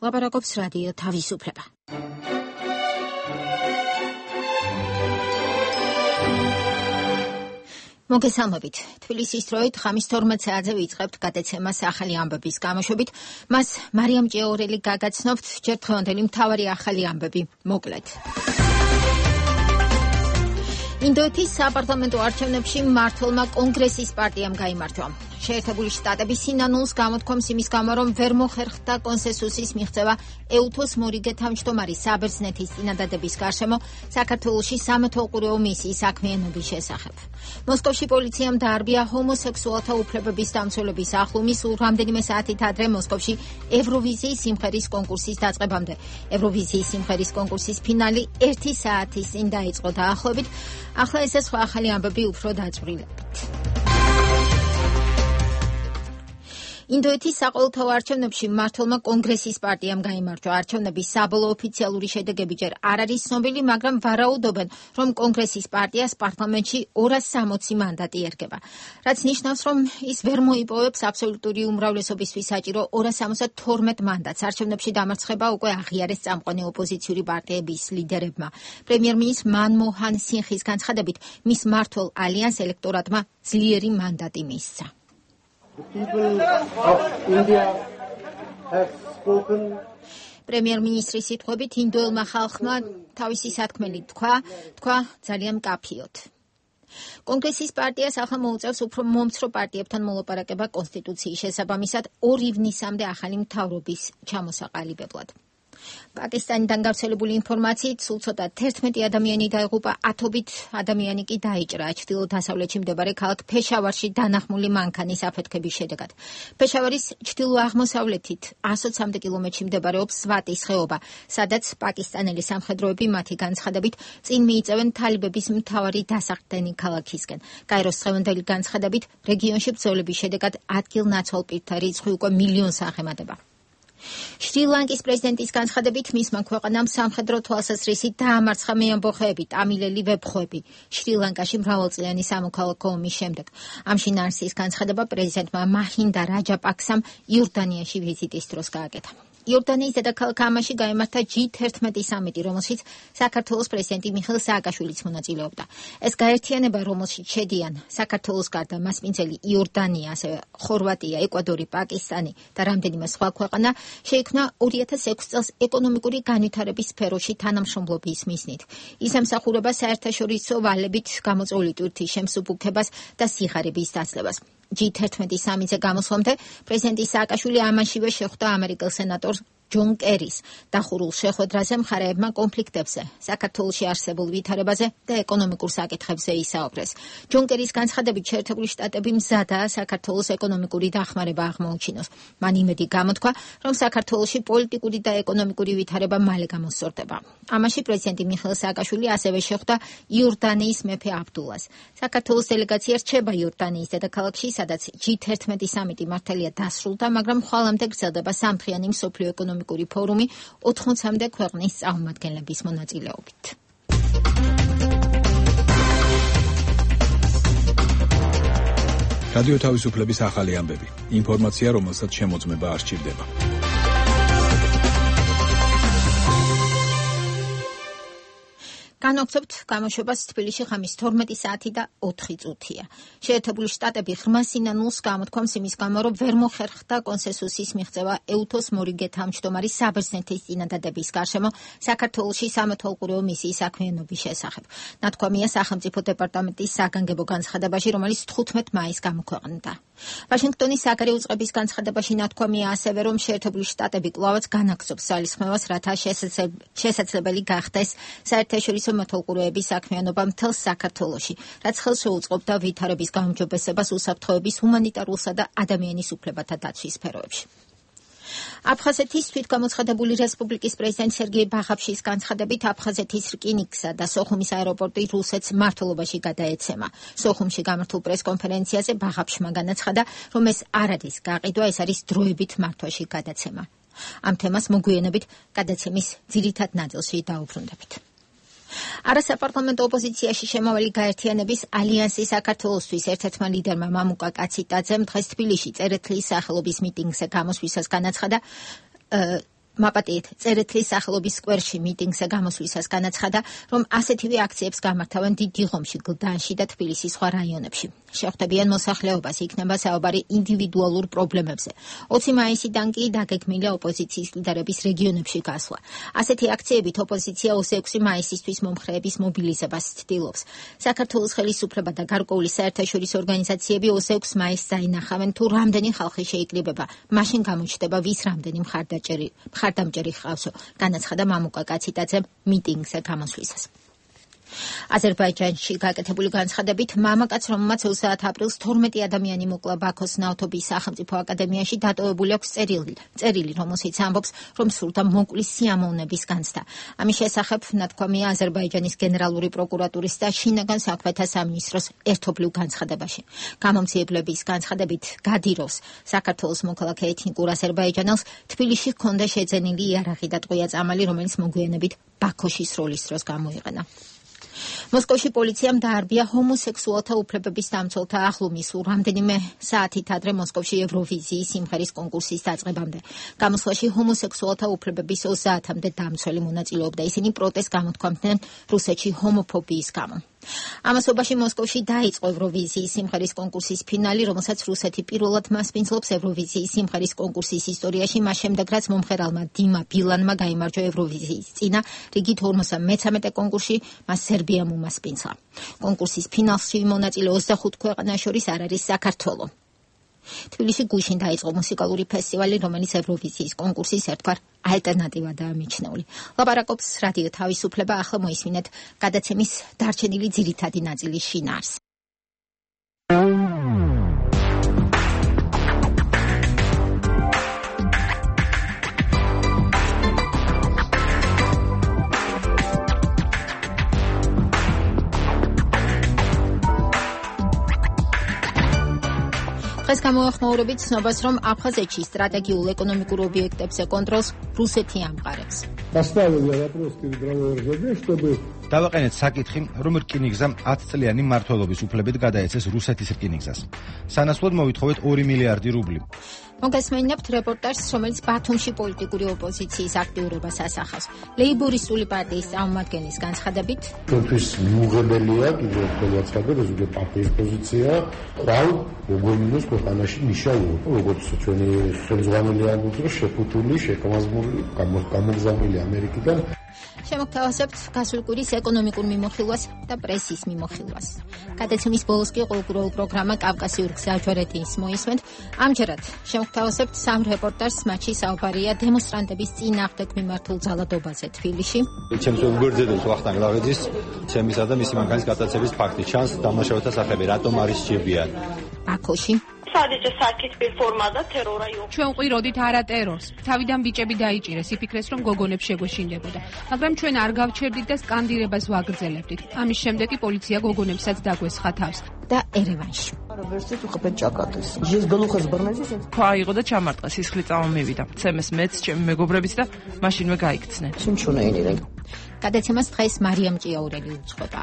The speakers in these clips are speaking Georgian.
ლაპარაკობს რადიო თავისუფლება. მოგესალმებით. თბილისის დროით ღამის 12 საათზე ვიწყებთ გადაცემას ახალი ამბების გამოშვებით. მას მარიამ ჭიაურელი გაგაცნობთ ჯერ დღევანდელი მთავარი ახალი ამბები მოკლედ. ინდოეთის საპარლამენტო არჩევნებში მმართველმა კონგრესის პარტიამ გაიმარჯვა. შეერთებული შტატების სინანულს გამოთქვამს იმის გამო, რომ ვერ მოხერხდა კონსენსუსის მიღწევა ეუთოს მორიგე თავმჯდომარის საბერძნეთის წინადადების გარშემო საქართველოში სამეთვალყურეო მისიის საქმიანობის შესახებ. მოსკოვში პოლიციამ დაარბია ჰომოსექსუალთა უფლებების დამცველების ახლუმი სულ რამდენიმე საათით ადრე მოსკოვში ევროვიზიის სიმღერის კონკურსის დაწყებამდე. ევროვიზიის სიმღერის კონკურსის ფინალი 1 საათის წინ დაიწყო დაახლოებით. ახლა ესე სხვა ახალი ამბები უფრო დაწვრილებთ. ინდოეთის საყოველთაო არჩევნებში მმართველმა კონგრესის პარტიამ გაიმარჯვა. არჩევნების საბოლოო ოფიციალური შედეგები ჯერ არ არის ცნობილი, მაგრამ ვარაუდობენ, რომ კონგრესის პარტიას პარლამენტში 260 მანდატი ერგება. რაც ნიშნავს, რომ ის ვერ მოიპოვებს აბსოლუტური უმრავლესობისთვის საჭირო 272 მანდატს. არჩევნებში დამარცხება უკვე აღიარეს წამყვანი ოპოზიციური პარტიების ლიდერებმა. პრემიერ-მინისტრ მანმოჰან სინხის განცხადებით, მის მმართველ ალიანს ელექტორატმა ძლიერი მანდატი მისცა. პრემიერ-მინისტრის სიტყვებით ინდოელმა ხალხმა თავისი სათქმელი თქვა ძალიან მკაფიოდ. კონგრესის პარტიას ახლა მოუწევს უფრო მომცრო პარტიებთან მოლაპარაკება კონსტიტუციის შესაბამისად 2 ივნისამდე ახალი მთავრობის ჩამოსაყალიბებლად. პაკისტანიდან გავრცელებული ინფორმაციით სულ ცოტა 11 ადამიანი დაიღუპა, ათობით ადამიანი კი დაიჭრა ჩრდილო-დასავლეთში მდებარე ქალაქ ფეშავარში დანახმული მანქანის აფეთქების შედეგად. ფეშავარის ჩრდილო-აღმოსავლეთით 120 კილომეტრში მდებარეობს სვატის ხეობა, სადაც პაკისტანელი სამხედროები მათი განცხადებით წინ მიიწევენ თალიბების მთავარი დასახდენი ქალაქისკენ. კაიროს დღევანდელი განცხადებით რეგიონში ბრძოლების შედეგად ადგილ-ნაცვალ პირთა რიცხვი უკვე მილიონს აღემატება. შრი-ლანკის პრეზიდენტის განცხადებით მისმა ქვეყანამ სამხედრო თვალსაზრისით დაამარცხა მეამბოხეები, ტამილელი ვებხვები შრი-ლანკაში მრავალწლიანი სამოქალაქო ომის შემდეგ. ამ შინაარსის განცხადება პრეზიდენტმა მაჰინდა რაჯაპაქსამ იორდანიაში ვიზიტის დროს გააკეთა. იორდანიის დედაქალაქ ამანში გაიმართა G11 სამიტი, რომელშიც საქართველოს პრეზიდენტი მიხეილ სააკაშვილიც მონაწილეობდა. ეს გაერთიანება, რომელშიც შედიან საქართველოს გარდა მასპინძელი იორდანია, ასევე ხორვატია, ეკვადორი, პაკისტანი და რამდენიმე სხვა ქვეყანა, შეიქმნა 2006 წელს ეკონომიკური განვითარების სფეროში თანამშრომლობის მიზნით. ის ემსახურება საერთაშორისო ვალებით გამოწვეული ტვირთის შემსუბუქებას და სიღარიბის დაცლებას. G11 სამიტზე გამოსვლამდე პრეზიდენტი სააკაშვილი ამანშივე შეხვდა ამერიკელ სენატორს ჯონ კერის დახურულ შეხვედრაზე მხარეებმა კონფლიქტებზე, საქართველოში არსებულ ვითარებაზე და ეკონომიკურ საკითხებზე ისაუბრეს. ჯონ კერის განცხადებით შეერთებული შტატები მზადაა საქართველოს ეკონომიკური დახმარება აღმოუჩინოს. მან იმედი გამოთქვა, რომ საქართველოში პოლიტიკური და ეკონომიკური ვითარება მალე გამოსწორდება. ამაში პრეზიდენტი მიხეილ სააკაშვილი ასევე შეხვდა იორდანიის მეფე აბდულას. საქართველოს დელეგაცია რჩება იორდანიის დედაქალაქში, სადაც G11 სამიტი მართალია დასრულდა, მაგრამ ხვალამდე გრძელდება სამთვიანი მსოფლიო ეკონომიკური ფორუმი 80-მდე ქვეყნის წარმომადგენლების მონაწილეობით. რადიო თავისუფლების ახალი ამბები. ინფორმაცია, რომელსაც შემოწმება არ სჭირდება. განვაგრძობთ გამოშვებას თბილისში ღამის 12 საათი და 4 წუთია. შეერთებული შტატები ღრმა სინანულს გამოთქვამს იმის გამო, რომ ვერ მოხერხდა კონსენსუსის მიღწევა ეუთოს მორიგე თავმჯდომარის საბერძნეთის წინადადების გარშემო საქართველოში სამეთვალყურეო მისიის საქმიანობის შესახებ. ნათქვამია სახელმწიფო დეპარტამენტის საგანგებო განცხადებაში, რომელიც 15 მაისს გამოქვეყნდა. ვაშინგტონის საგარეო უწყების განცხადებაში ნათქვამია ასევე, რომ შეერთებული შტატები კვლავაც განაგრძობს ძალისხმევას, რათა შესაძლებელი გახდეს საერთაშორისო მეთვალყურეების საქმიანობა მთელს საქართველოში, რაც ხელს შეუწყობდა ვითარების გაუმჯობესებას უსაფრთხოების, ჰუმანიტარულსა და ადამიანის უფლებათა დაცვის სფეროებში. აფხაზეთის თვითგამოცხადებული რესპუბლიკის პრეზიდენტ სერგეი ბაღაფშის განცხადებით აფხაზეთის რკინიგზა და სოხუმის აეროპორტი რუსეთს მმართველობაში გადაეცემა. სოხუმში გამართულ პრესკონფერენციაზე ბაღაფშმა განაცხადა, რომ ეს არ არის გაყიდვა, ეს არის დროებით მართვაში გადაცემა. ამ თემას მოგვიანებით გადაცემის ძირითად ნაწილში დაუბრუნდებით. არასაპარლამენტო ოპოზიციაში შემავალი გაერთიანების ალიანსი საქართველოსთვის ერთ-ერთმა ლიდერმა მამუკა კაციტაძემ დღეს თბილისში წერეთლის სახელობის მიტინგზე გამოსვლისას განაცხადა, მაპატიეთ წერეთლის სახელობის სკვერში მიტინგზე გამოსვლისას განაცხადა, რომ ასეთივე აქციებს გამართავენ დიდ დიღომში, გლდანში და თბილისის სხვა რაიონებში. შეხვდებიან მოსახლეობას, იქნება საუბარი ინდივიდუალურ პრობლემებზე. 20 მაისიდან კი დაგეგმილია ოპოზიციის ლიდერების რეგიონებში გასვლა. ასეთი აქციებით ოპოზიცია 26 მაისისთვის მომხრეების მობილიზებას ცდილობს. საქართველოს ხელისუფლება და გარკვეული საერთაშორისო ორგანიზაციები 26 მაისს დაინახავენ, თუ რამდენი ხალხი შეიკრიბება, მაშინ გამოჩნდება ვის რამდენი მხარდამჭერი ხავსო, განაცხადა მამუკა კაციტაძემ მიტინგზე გამოსვლისას. აზერბაიჯანში გაკეთებული განცხადებით მამაკაც, რომელმაც 20 აპრილს 12 ადამიანი მოკლა ბაქოს ნავთობის სახელმწიფო აკადემიაში, დატოვებული აქვს წერილი, რომელშიც ამბობს, რომ სურდა მოკვლის სიამოვნების განცდა. ამის შესახებ ნათქვამია აზერბაიჯანის გენერალური პროკურატურის და შინაგან საქმეთა სამინისტროს ერთობლივ განცხადებაში. გამომძიებლების განცხადებით გადიროს საქართველოს მოქალაქე ეთნიკურ აზერბაიჯანელს თბილისში ჰქონდა შეძენილი იარაღი და ტყვია წამალი, რომელიც მოგვიანებით ბაქოში სროლის დროს გამოიყენა. მოსკოვში პოლიციამ დაარბია ჰომოსექსუალთა უფლებების დამცველთა აღლუმი სულ რამდენიმე საათით ადრე მოსკოვში ევროვიზიის სიმღერის კონკურსის დაწყებამდე. გამოსვლაში ჰომოსექსუალთა უფლებების 30-მდე დამცველი მონაწილეობდა. ისინი პროტესტს გამოთქვამდნენ რუსეთში ჰომოფობიის გამო. ამასობაში მოსკოვში დაიწყო ევროვიზიის სიმღერის კონკურსის ფინალი, რომელსაც რუსეთი პირველად მასპინძლობს ევროვიზიის სიმღერის კონკურსის ისტორიაში, მას შემდეგ რაც მომღერალმა დიმა ბილანმა გაიმარჯვა ევროვიზიის წინა რიგით 53 კონკურსში, მას სერბიამ უმასპინძლა. კონკურსის ფინალში მონაწილე 25 ქვეყანას შორის არ არის საქართველო. თბილისში გუშინ დაიწყო მუსიკალური ფესტივალი, რომელიც ევროვიზიის კონკურსის ერთგვარ ალტერნატივადაა მიჩნეული. ლაპარაკობს რადიო თავისუფლება, ახლა მოისმინეთ გადაცემის დარჩენილი ძირითადი ნაწილის შინაარსს. დღეს გამოახმაურებით ცნობას, რომ აფხაზეთში სტრატეგიულ ეკონომიკურ ობიექტებზე კონტროლს რუსეთი ამყარებს. დავაყენეთ საკითხი, რომ რკინიგზამ 10 წლიანი მმართველობის უფლებით გადაეცეს რუსეთის რკინიგზას. სანაცვლოდ მოვითხოვეთ 2 მილიარდი რუბლი. მოგესმენინებთ რეპორტაჟს, რომელიც ბათუმში პოლიტიკური ოპოზიციის აქტიურობას ასახავს. ლეიბორისტული პარტიის წარმომადგენლის განცხადებით, ჩვენთვის მიუღებელია კიდევ ერთხელ ვაცხადებ, ეს უკვე პარტიის პოზიცია, ყვალ გოგომინოს ქვეყანაში ნიშნავდა, როგორც ჩვენი ხელმძღვანელი ამბობს, რომ შეფუთული, შეკამაზმული, გამოგზავნილი ამერიკიდან. შემოგთავაზებთ გასულ კვირის ეკონომიკურ მიმოხილვას და პრესის მიმოხილვას. გადაცემის ბოლოს კი ყოველკვირეულ პროგრამა კავკასიურ გზაჯვარედინს მოისმენთ. ამჯერად შემოგთავაზებთ სამ რეპორტაჟს, მათში საუბარია დემონსტრანტების წინააღმდეგ მიმართულ ძალადობაზე თბილისში. ჩემს უგრძელებს ვახტანგ ლაღიძის ცემისა და მისი მანქანის გადაცემის ფაქტი ჩანს დამნაშავეთა სახები რატომ არის სჭირდიან. ბაქოში სადიჯე საკითხი ფორმა და ტერორა იყო. ჩვენ ყიროდით არა ტერორს. თავიდან ბიჭები დაიჭირეს, იფიქრეს რომ გოგონებს შეგვეშინდებოდა. მაგრამ ჩვენ არ გავჩერდით და სკანდირებას ვაგრძელებდით. ამის შემდეგ კი პოლიცია გოგონებსაც დაგვესხა თავს. და ერევანში. ქვა აიღო და ჩამარტყა, სისხლი წამომივიდა. ცემეს მეც, ჩემი მეგობრებიც და მაშინვე გაიქცნენ. გადაცემას დღეს მარიამ ჭიაურელი უძღვება.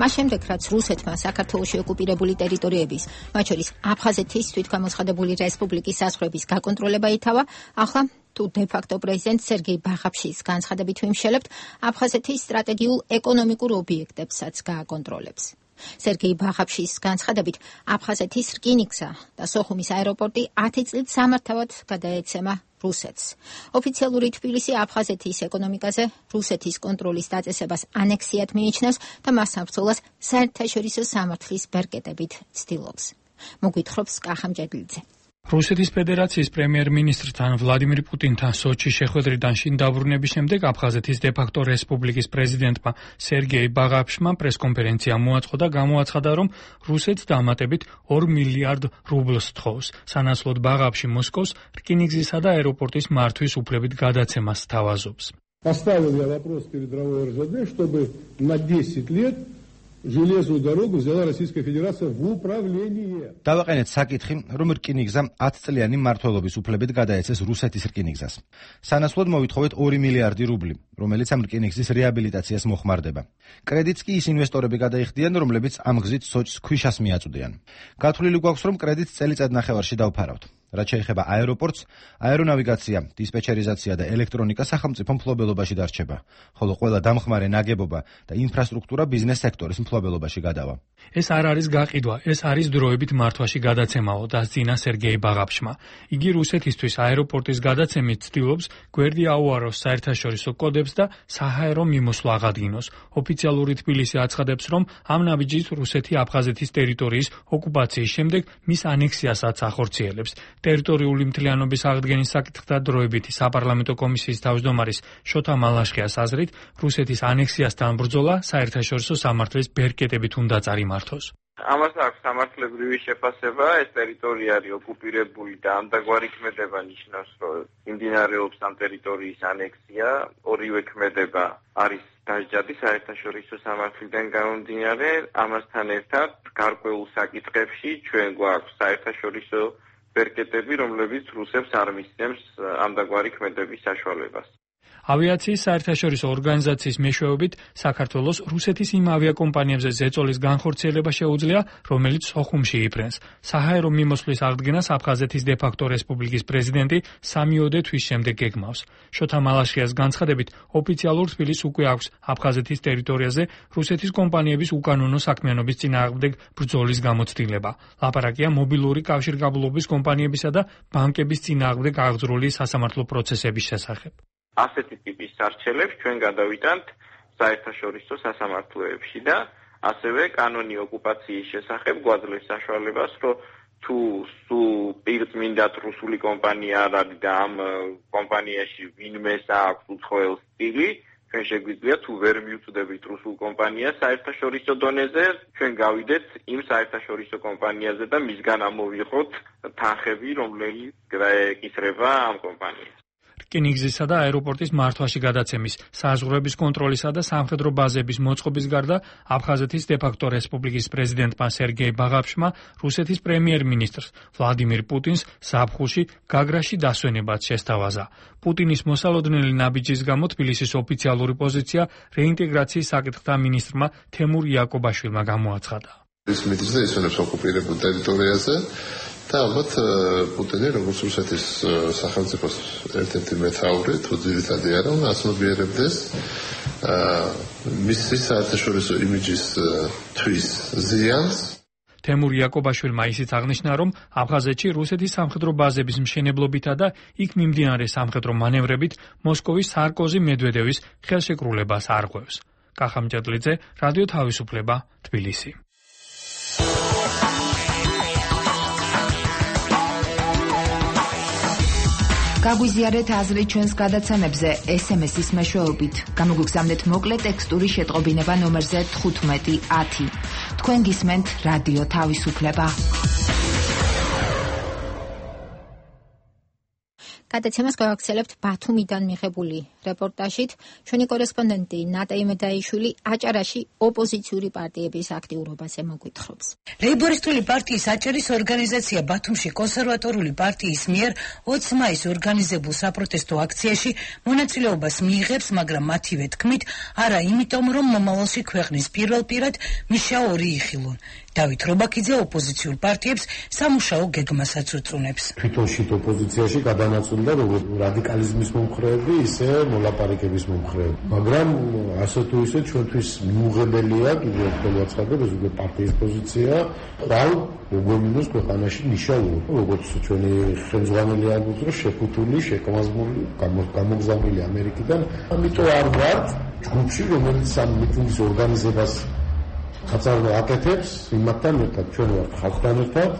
მას შემდეგ, რაც რუსეთმა საქართველოში ოკუპირებული ტერიტორიების, მათ შორის აფხაზეთის თვითგამოცხადებული რესპუბლიკის საზღვრების გაკონტროლება ითავა, ახლა თუ დე-ფაქტო პრეზიდენტ სერგეი ბაღაფშის განცხადებით ვიმშელებთ, აფხაზეთის სტრატეგიულ ეკონომიკურ ობიექტებსაც გააკონტროლებს. სერგეი ბაღაფშის განცხადებით, აფხაზეთის რკინიგზა და სოხუმის აეროპორტი 10 წლით სამართავად გადაეცემა რუსეთს. ოფიციალური თბილისი აფხაზეთის ეკონომიკაზე რუსეთის კონტროლის დაწესებას ანექსიად მიიჩნევს და მას საბრძოლას საერთაშორისო სამართლის ბერკეტებით ცდილობს. მოგვითხრობს კახამ ჭედლიძე. რუსეთის ფედერაციის პრემიერ-მინისტრთან ვლადიმირ პუტინთან სოჩის შეხვედრიდან შინ დაბრუნების შემდეგ აფხაზეთის დე-ფაქტო რესპუბლიკის პრეზიდენტმა სერგეი ბაღაფშმა პრესკონფერენცია მოაწყო და გამოაცხადა, რომ რუსეთს დამატებით 2 მილიარდ რუბლს თხოვს. სანაცვლოდ ბაღაფში მოსკოვს რკინიგზისა და აეროპორტის მართვის უფლებით გადაცემას სთავაზობს. Поставил я вопрос перед РЖД, чтобы на 10 лет железную дорогу взяла Российская Федерация в управление. დავაყენეთ საკითხი, რომ რკინიგზამ 10 წლიანი მმართველობის უფლებით გადაეცეს რუსეთის რკინიგზას. სანაცვლოდ მოვითხოვეთ 2 მილიარდი რუბლი, რომელიც ამ რკინიგზის რეაბილიტაციას მოხმარდება. კრედიტს კი ის ინვესტორები გადაიხდიან, რომლებიც ამ გზით სოჭს ქვიშას მიაწვდიან. გათვლილი გვაქვს, რომ კრედიტს წელიწად-ნახევარში დავფარავთ. რაც შეეხება აეროპორტს, აერონავიგაცია, დისპეჩერიზაცია და ელექტრონიკა სახელმწიფო მფლობელობაში დარჩება, ხოლო ყველა დამხმარე ნაგებობა და ინფრასტრუქტურა ბიზნეს სექტორის მფლობელობაში გადავა. ეს არ არის გაყიდვა, ეს არის დროებით მართვაში გადაცემაო, დასძინა სერგეი ბაღაფშმა. იგი რუსეთისთვის აეროპორტის გადაცემით ცდილობს გვერდი აუაროს საერთაშორისო კოდებს და საჰაერო მიმოსვლა აღადგინოს. ოფიციალური თბილისი აცხადებს, რომ ამ ნაბიჯით რუსეთი აფხაზეთის ტერიტორიის ოკუპაციის შემდეგ მის ანექსიასაც ახორციელებს. ტერიტორიული მთლიანობის აღდგენის საკითხთა დროებითი საპარლამენტო კომისიის თავმჯდომარის შოთა მალაშხიას აზრით, რუსეთის ანექსიასთან ბრძოლა საერთაშორისო სამართლის ბერკეტებით უნდა წარიმართოს. ამას აქვს სამართლებრივი შეფასება, ეს ტერიტორია არის ოკუპირებული და ამდაგვარი ქმედება ნიშნავს, რომ მიმდინარეობს ამ ტერიტორიის ანექსია, ორივე ქმედება არის დაჯადი საერთაშორისო სამართლიდან გამომდინარე, ამასთან ერთად გარკვეულ საკითხებში ჩვენ გვაქვს საერთაშორისო ბერკეტები, რომლებიც რუსებს არ მისცემს ამდაგვარი ქმედების საშუალებას. ავიაციის საერთაშორისო ორგანიზაციის მეშვეობით საქართველოს რუსეთის იმ ავიაკომპანიებზე ზეწოლის განხორციელება შეუძლია, რომელიც სოხუმში იფრენს. საჰაერო მიმოსვლის აღდგენას აფხაზეთის დე-ფაქტო რესპუბლიკის პრეზიდენტი 3-ოდე თვის შემდეგ გეგმავს. შოთა მალაშხიას განცხადებით, ოფიციალურ თბილისს უკვე აქვს აფხაზეთის ტერიტორიაზე რუსეთის კომპანიების უკანონო საქმიანობის წინააღმდეგ ბრძოლის გამოცდილება. ლაპარაკია მობილური კავშირგაბმულობის კომპანიებისა და ბანკების წინააღმდეგ აღძრული სასამართლო პროცესების შესახებ. ასეთი ტიპის არჩელებს ჩვენ გადავიტანთ საერთაშორისო სასამართლოებში და ასევე კანონი ოკუპაციის შესახებ გვაძლევს საშუალებას, რომ თუ პირწმინდად რუსული კომპანია არ არის და ამ კომპანიაში ვინმეს აქვს უცხოელ სტილი, ჩვენ შეგვიძლია თუ ვერ მიუწვდებით რუსულ კომპანიას საერთაშორისო დონეზე, ჩვენ გავიდეთ იმ საერთაშორისო კომპანიაზე და მისგან ამოვიღოთ თანხები, რომელიც გაეკისრება ამ კომპანიას. რკინიგზისა და აეროპორტის მართვაში გადაცემის, საზღვრების კონტროლისა და სამხედრო ბაზების მოწყობის გარდა აფხაზეთის დე-ფაქტო რესპუბლიკის პრეზიდენტმა სერგეი ბაღაფშმა რუსეთის პრემიერ-მინისტრს ვლადიმირ პუტინს ზაფხულში გაგრაში დასვენებაც შესთავაზა. პუტინის მოსალოდნელი ნაბიჯის გამო თბილისის ოფიციალური პოზიცია რეინტეგრაციის საკითხთა მინისტრმა თემურ იაკობაშვილმა გამოაცხადა. ეს მიწაზე ისვენებს ოკუპირებულ ტერიტორიაზე და ალბათ პუტინი როგორც რუსეთის სახელმწიფოს ერთ-ერთი მეთაური თუ ძირითადი არა უნდა აცნობიერებდეს მისი საერთაშორისო იმიჯის თვის ზიანს. თემურ იაკობაშვილმა ისიც აღნიშნა, რომ აფხაზეთში რუსეთის სამხედრო ბაზების მშენებლობითა და იქ მიმდინარე სამხედრო მანევრებით მოსკოვის სარკოზი მედვედევის ხელშეკრულებას არღვევს. კახამჭედლიძე, რადიო თავისუფლება, თბილისი. გაგვიზიარეთ აზრი ჩვენს გადაცემებზე SMS-ის მეშვეობით. გამოგვიგზავნეთ მოკლე ტექსტური შეტყობინება ნომერზე 1510. თქვენ გისმენთ რადიო თავისუფლება. გადაცემას გავაგრძელებთ ბათუმიდან მიღებული რეპორტაჟით. ჩვენი კორესპონდენტი ნატა იმედაიშვილი აჭარაში ოპოზიციური პარტიების აქტიურობაზე მოგვითხრობს. ლეიბორისტული პარტიის აჭარის ორგანიზაცია ბათუმში კონსერვატორული პარტიის მიერ 20 მაისს ორგანიზებულ საპროტესტო აქციაში მონაწილეობას მიიღებს, მაგრამ მათივე თქმით, არა იმიტომ, რომ მომავალში ქვეყნის პირველ პირად მიშა ორი იხილონ. დავით რობაქიძე ოპოზიციურ პარტიებს სამუშაო გეგმასაც უწუნებს. თვითონ შით ოპოზიციაში გადანაწილდა როგორც რადიკალიზმის მომხრეები, ისე მოლაპარაკების მომხრეები. მაგრამ ასე თუ ისე ჩვენთვის მიუღებელია, კიდევ ერთხელ ვაცხადებ, ეს უკვე პარტიის პოზიცია, ყრალ მოგომინოს ქვეყანაში ნიშნავდა, როგორც ჩვენი ხელმძღვანელი ალბათ რომ შეფუთული, შეკამაზმული, გამოგზავნილი ამერიკიდან. ამიტომ არ ვართ ჯგუფში, რომელიც ამ მიტინგის ორგანიზებას ხაწარდა აკეთებს იმათთან ერთად, ჩვენ ვართ ხალხთან ერთად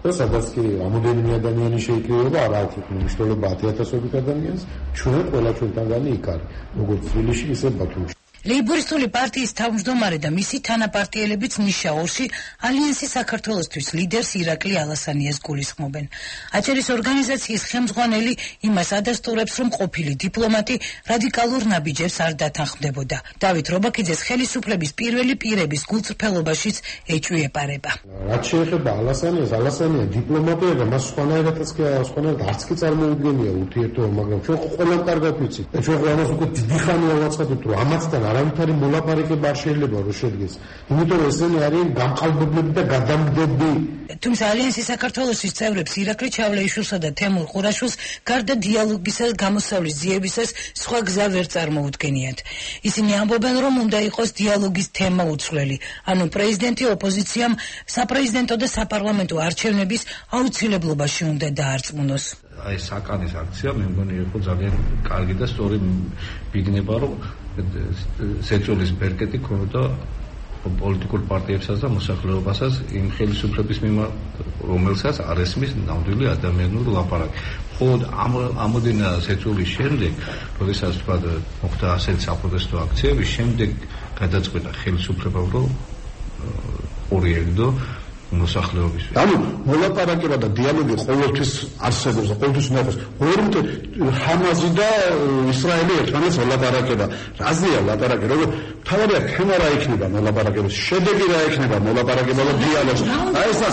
და სადაც კი რამოდენიმე ადამიანი შეიკრიბება, არა აქვს მნიშვნელობა 10,000-ობით ადამიანს, ჩვენ ყველა ჩვენთანგანი იქ არის, როგორც თბილისში, ისე ბათუმში. ლეიბორისტული პარტიის თავმჯდომარე და მისი თანაპარტიელებიც ნიშაურში ალიანსი საქართველოსთვის ლიდერს ირაკლი ალასანიას გულისხმობენ. აჭარის ორგანიზაციის ხელმძღვანელი იმას ადასტურებს, რომ ყოფილი დიპლომატი რადიკალურ ნაბიჯებს არ დათანხმდებოდა. დავით რობაქიძეს ხელისუფლების პირველი პირების გულწრფელობაშიც ეჭვი ეპარება. რაც შეეხება ალასანია დიპლომატია და მას სხვანაირად არც კი წარმოუდგენია ურთიერთობა, მაგრამ ჩვენ ყველამ კარგად ვიცით. ჩვენ ამას უკვე დიდი ხანია ვაცხადებთ, რომ ამათთან არავითარი მოლაპარაკება არ შეიძლება რომ შედგეს. იმიტომ რომ ესენი არიან გამყალბებლები და გადამგდები. თუმცა ალიანსის საქართველოსის წევრებს ირაკლი ჩავლეიშვილსა და თემურ ყურაშვილს გარდა დიალოგისა და გამოსავლის ძიებისას სხვა გზა ვერ წარმოუდგენიათ. ისინი ამბობენ, რომ უნდა იყოს დიალოგის თემა უცვლელი, ანუ პრეზიდენტი ოპოზიციამ საპრეზიდენტო და საპარლამენტო არჩევნების აუცილებლობაში უნდა დაარწმუნოს. აი საკანის აქცია მე მგონი იყო ძალიან კარგი და სწორი ბიგნება, რომ სეწოლის ბერკეტი ქონოდა პოლიტიკურ პარტიებსაც და მოსახლეობასაც იმ ხელისუფლების მიმართ, რომელსაც არ ესმის ნამდვილი ადამიანური ლაპარაკი. მხოლოდ ამოდენა სეწოლის შემდეგ, როდესაც თქვა მოხდა ასეთ საპროტესტო აქციები, შემდეგ გადაწყვეტა ხელისუფლებამ, რომ ორიეგდო მოსახლეობისთვის. ანუ მოლაპარაკება და დიალოგი ყოველთვის არსებობს და ყოველთვის უნდა იყოს. ორმე ჰამაზი და ისრაელი ერთმანეთს მოლაპარაკება. რაზეა ლაპარაკი? როგორ თავარია თემა რა იქნება მოლაპარაკების? შედეგი რა იქნება მოლაპარაკება და დიალოგს? აი ესა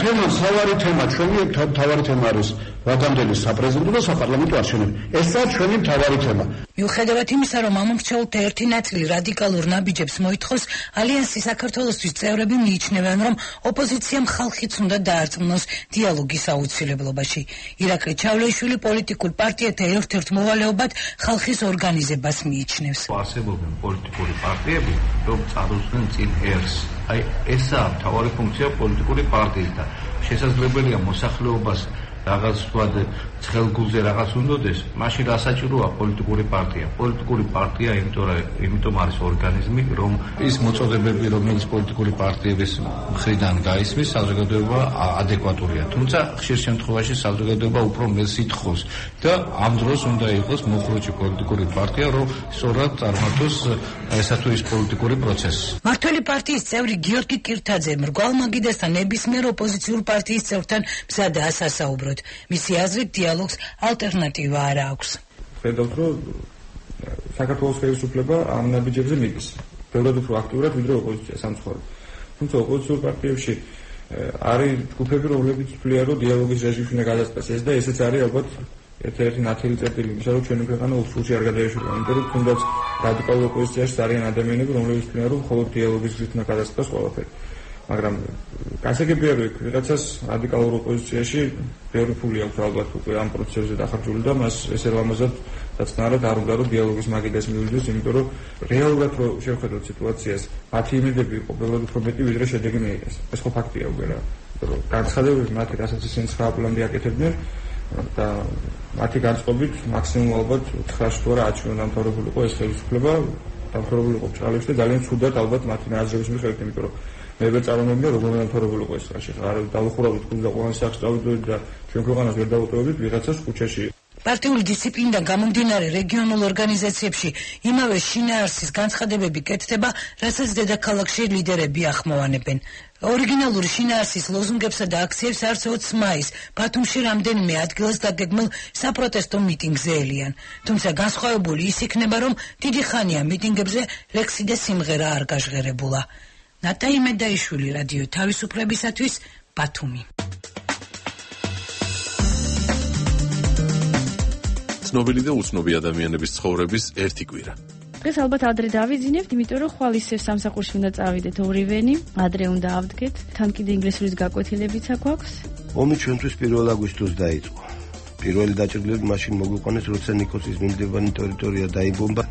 თემა, სავარი თემა, ჩვენი თავარი თემა არის ვადამდელი საპრეზიდენტო და საპარლამენტო არჩევნები. ესაა ჩვენი თავარი თემა. მიუხედავად იმისა, რომ ამომრჩეულთა ერთი ნაწილი რადიკალურ ნაბიჯებს მოითხოვს, ალიანსის საქართველოსთვის წევრები მიიჩნევენ, რომ ოპოზიციამ ხალხიც უნდა დაარწმუნოს დიალოგის აუცილებლობაში. ირაკლი ჩავლეიშვილი პოლიტიკურ პარტიათა ერთ-ერთ მოვალეობად ხალხის ორგანიზებას მიიჩნევს. არსებობენ პოლიტიკური პარტიები, რომ წარუდგნენ წინ ერს. აი ესაა მთავარი ფუნქცია პოლიტიკური პარტიის და შესაძლებელია მოსახლეობას რაღაც ვთქვათ ცხელგულზე რაღაც უნდოდეს, მაშინ რა საჭიროა პოლიტიკური პარტია? პოლიტიკური პარტია იმიტომ არის ორგანიზმი, რომ ის მოწოდებები, რომელიც პოლიტიკური პარტიების მხრიდან გაისმის, საზოგადოება ადეკვატურია. თუმცა ხშირ შემთხვევაში საზოგადოება უფრო მელს ითხოვს და ამ დროს უნდა იყოს მოხროჭი პოლიტიკური პარტია, რომ სწორად წარმართოს ესა თუ ის პოლიტიკური პროცესი. მართველი პარტიის წევრი გიორგი კირთაძე მრგვალ მაგიდასთან ნებისმიერ ოპოზიციურ პარტიის წევრთან მზადაა სასაუბროდ. მისი აზრით დიალოგს ალტერნატივა არ აქვს. ხედავთ, რომ საქართველოს ხელისუფლება ამ ნაბიჯებზე მიდის. ბევრად უფრო აქტიურად ვიდრე ოპოზიცია სამწუხაროდ. თუმცა ოპოზიციურ პარტიებში არის ჯგუფები, რომლებიც თვლიან, რომ დიალოგის რეჟიმში უნდა გადაწყვეტს ეს და ესეც არის ალბათ ერთ-ერთი ნათელი წერტილი იმისა, რომ ჩვენი ქვეყანა უსულში არ გადაეშვება. იმიტომ რომ თუნდაც რადიკალურ ოპოზიციაში არიან ადამიანები, რომლებიც თვლიან, რომ მხოლოდ დიალოგის გზით უნდა გადაწყვეტს ყველაფერი. მაგრამ გასაგებია, რომ ვიღაცას რადიკალურ ოპოზიციაში ბევრი ფული აქვს ალბათ უკვე ამ პროცესზე დახარჯული და მას ესე ლამაზად დაწნარად არ უნდა რომ დიალოგის მაგიდას მივიდეს, იმიტომ რომ რეალურად რო შევხედოთ სიტუაციას, მათი იმედები იყო ბევრად უფრო მეტი, ვიდრე შედეგი მიიღეს. ეს ხო ფაქტია უკვე რა. იმიტომ რომ განცხადებები მათი რასაც ისინი 9 აპრილამდე აკეთებდნენ და მათი განწყობით მაქსიმუმ ალბათ 9 თუ არა 10 ჩვენ დამთავრებულიყო ეს ხელისუფლება, დამთავრებულიყო ჭრალებში და ძალიან ცუდად ალბათ მათი ნაზრების მიხედვით, იმიტომ რომ მე ვერ წარმოვიდგინე როგორ დამთავრებულიყო ეს ხაში. არ დავუხურავთ კუს და ყველას სახს წავიდოდით და ჩვენ ქვეყანას ვერ დავუტოვებდით ვიღაცას ქუჩაში. პარტიული დისციპლინიდან გამომდინარე რეგიონულ ორგანიზაციებში იმავე შინაარსის განცხადებები კეთდება, რასაც დედაქალაქში ლიდერები ახმოვანებენ. ორიგინალური შინაარსის ლოზუნგებსა და აქციებს არც 20 მაისს ბათუმში რამდენიმე ადგილას დაგეგმილ საპროტესტო მიტინგზე ელიან. თუმცა განსხვავებული ის იქნება, რომ დიდი ხანია მიტინგებზე ლექსი და სიმღერა არ გაჟღერებულა. ნატაი მედაიშვილი, რადიო თავისუფლებისათვის, ბათუმი. ცნობილი და უცნობი ადამიანების ცხოვრების ერთი კვირა. დღეს ალბათ ადრე დავიძინებთ, იმიტომ რომ ხვალ ისევ სამსახურში უნდა წავიდეთ ორივენი, ადრე უნდა ავდგეთ, თან კიდე ინგლისურის გაკვეთილებიც აქვს. ომი ჩვენთვის 1 აგვისტოს დაიწყო. პირველი დაჭრილები მაშინ მოგვიყვანეს, როცა ნიკოსის მიმდებარე ტერიტორია დაიბომბა.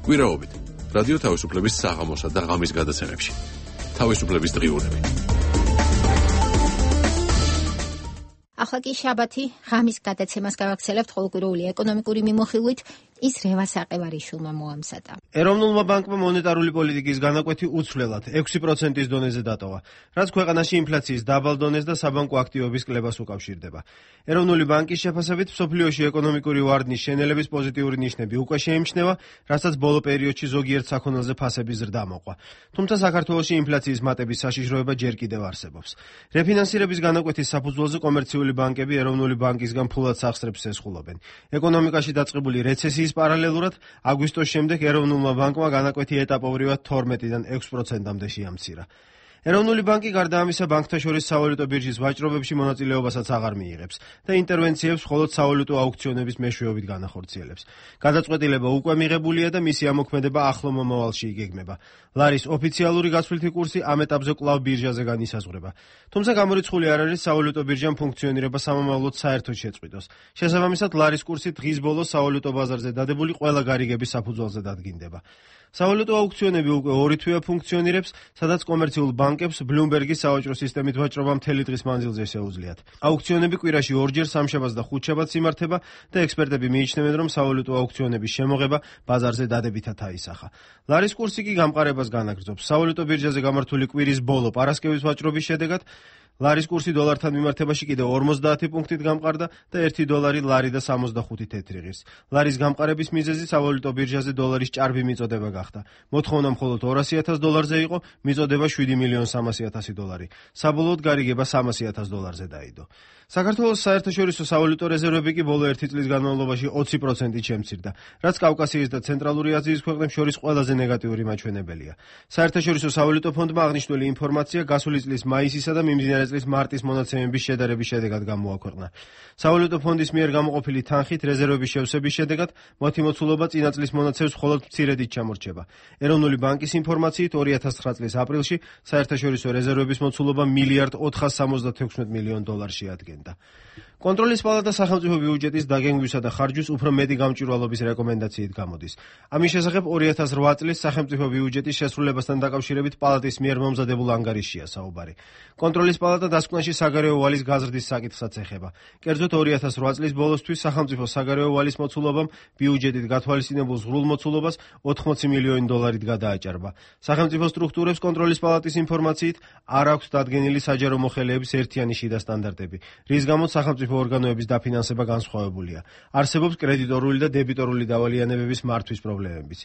კვირაობით რადიო თავისუფლების საღამოსა და ღამის გადაცემებში. თავისუფლების დღიურები. ახლა კი შაბათი ღამის გადაცემას გავაგრძელებთ ყოველკვირეული ეკონომიკური მიმოხილვით. ის რევას აყევარიშვილმა მოამზადა. ეროვნულმა ბანკმა მონეტარული პოლიტიკის განაკვეთი უცვლელად 6%-ის დონეზე დატოვა, რაც ქვეყანაში ინფლაციის დაბალ დონეს და საბანკო აქტივების კლებას უკავშირდება. ეროვნული ბანკის შეფასებით მსოფლიოში ეკონომიკური ვარდნის შენელების პოზიტიური ნიშნები უკვე შეიმჩნევა, რასაც ბოლო პერიოდში ზოგიერთ საქონელზე ფასების ზრდა მოყვა. თუმცა საქართველოში ინფლაციის მატების საშიშროება ჯერ კიდევ არსებობს. რეფინანსირების განაკვეთის საფუძველზე კომერციული ბანკები ეროვნული ბანკისგან ფულად სახსრებს ესხულობენ. ეკონომიკაში დაწყებული რეცესიის პარალელურად აგვისტოს შემდეგ ეროვნულმა ბანკმა განაკვეთი ეტაპობრივად 12-დან 6%-მდე შეამცირა. ეროვნული ბანკი გარდა ამისა ბანკთა შორის სავალუტო ბირჟის ვაჭრობებში მონაწილეობასაც აღარ მიიღებს და ინტერვენციებს მხოლოდ სავალუტო აუქციონების მეშვეობით განახორციელებს. გადაწყვეტილება უკვე მიღებულია და მისი ამოქმედება ახლო მომავალში იგეგმება. ლარის ოფიციალური გაცვლითი კურსი ამ ეტაპზე კვლავ ბირჟაზე განისაზღვრება. თუმცა გამორიცხული არ არის სავალუტო ბირჟამ ფუნქციონირება სამომავლოდ საერთოდ შეწყვიტოს. შესაბამისად, ლარის კურსი დღის ბოლოს სავალუტო ბაზარზე დადებული ყველა გარიგების საფუძველზე დადგინდება. სავალუტო აუქციონები უკვე 2 თვეა ფუნქციონირებს, სადაც კომერციულ ბანკებს ბლუმბერგის სავაჭრო სისტემით ვაჭრობა მთელი დღის მანძილზე შეუძლიათ. აუქციონები კვირაში 2-ჯერ სამშაბათს და ხუთშაბათს იმართება და ექსპერტები მიიჩნევენ, რომ სავალუტო აუქციონების შემოღება ბაზარზე დადებითად აისახა. ლარის კურსი კი გამყარებას განაგრძობს. სავალუტო ბირჟაზე გამართული კვირის ბოლო პარასკევის ვაჭრობის შედეგად ლარის კურსი დოლართან მიმართებაში კიდევ 50 პუნქტით გამყარდა და 1 დოლარი ლარი და 65 თეთრი ღირს. ლარის გამყარების მიზეზი სავალუტო ბირჟაზე დოლარის ჭარბი მიწოდება გახდა. მოთხოვნა მხოლოდ 200,000 დოლარზე იყო, მიწოდება 7,300,000 დოლარი. საბოლოოდ გარიგება 300,000 დოლარზე დაიდო. საქართველოს საერთაშორისო სავალუტო რეზერვები კი ბოლო 1 წლის განმავლობაში 20%-ით შემცირდა, რაც კავკასიის და ცენტრალური აზიის ქვეყნებს შორის ყველაზე ნეგატიური მაჩვენებელია. საერთაშორისო სავალუტო ფონდმა აღნიშნული ინფორმაცია გასული წლის მაისისა და მიმდინარე წლის მარტის მონაცემების შედარების შედეგად გამოაქვეყნა. სავალუტო ფონდის მიერ გამოყოფილი თანხით რეზერვების შევსების შედეგად მათი მოცულობა წინა წლის მონაცემს მხოლოდ მცირედით ჩამორჩება. ეროვნული ბანკის ინფორმაციით 2009 წლის აპრილში საერთაშორისო რეზერვების მოცულობა $1,476 მილიონს ადგენდა. კონტროლის პალატა სახელმწიფო ბიუჯეტის დაგენგვისა და ხარჯვის უფრო მეტი გამჭვირვალობის რეკომენდაციით გამოდის. ამის შესახებ 2008 წლის სახელმწიფო ბიუჯეტის შესრულებასთან დაკავშირებით პალატის მიერ მომზადებულ ანგარიშია საუბარი. კონტროლის პალატა დასკვნაში საგარეო ვალის გაზრდის საკითხსაც ეხება. კერძოდ 2008 წლის ბოლოსთვის სახელმწიფო საგარეო ვალის მოცულობამ ბიუჯეტით გათვალისწინებულ ზღვრულ მოცულობას $80 მილიონი გადააჭარბა. სახელმწიფო სტრუქტურებს კონტროლის პალატის ინფორმაციით არ აქვთ დადგენილი საჯარო მოხელეების ერთიანი შიდა სტანდარტები, რის გამოც სახელმწიფო ორგანოების დაფინანსება განსხვავებულია. არსებობს კრედიტორული და დებიტორული დავალიანებების მართვის პრობლემებიც.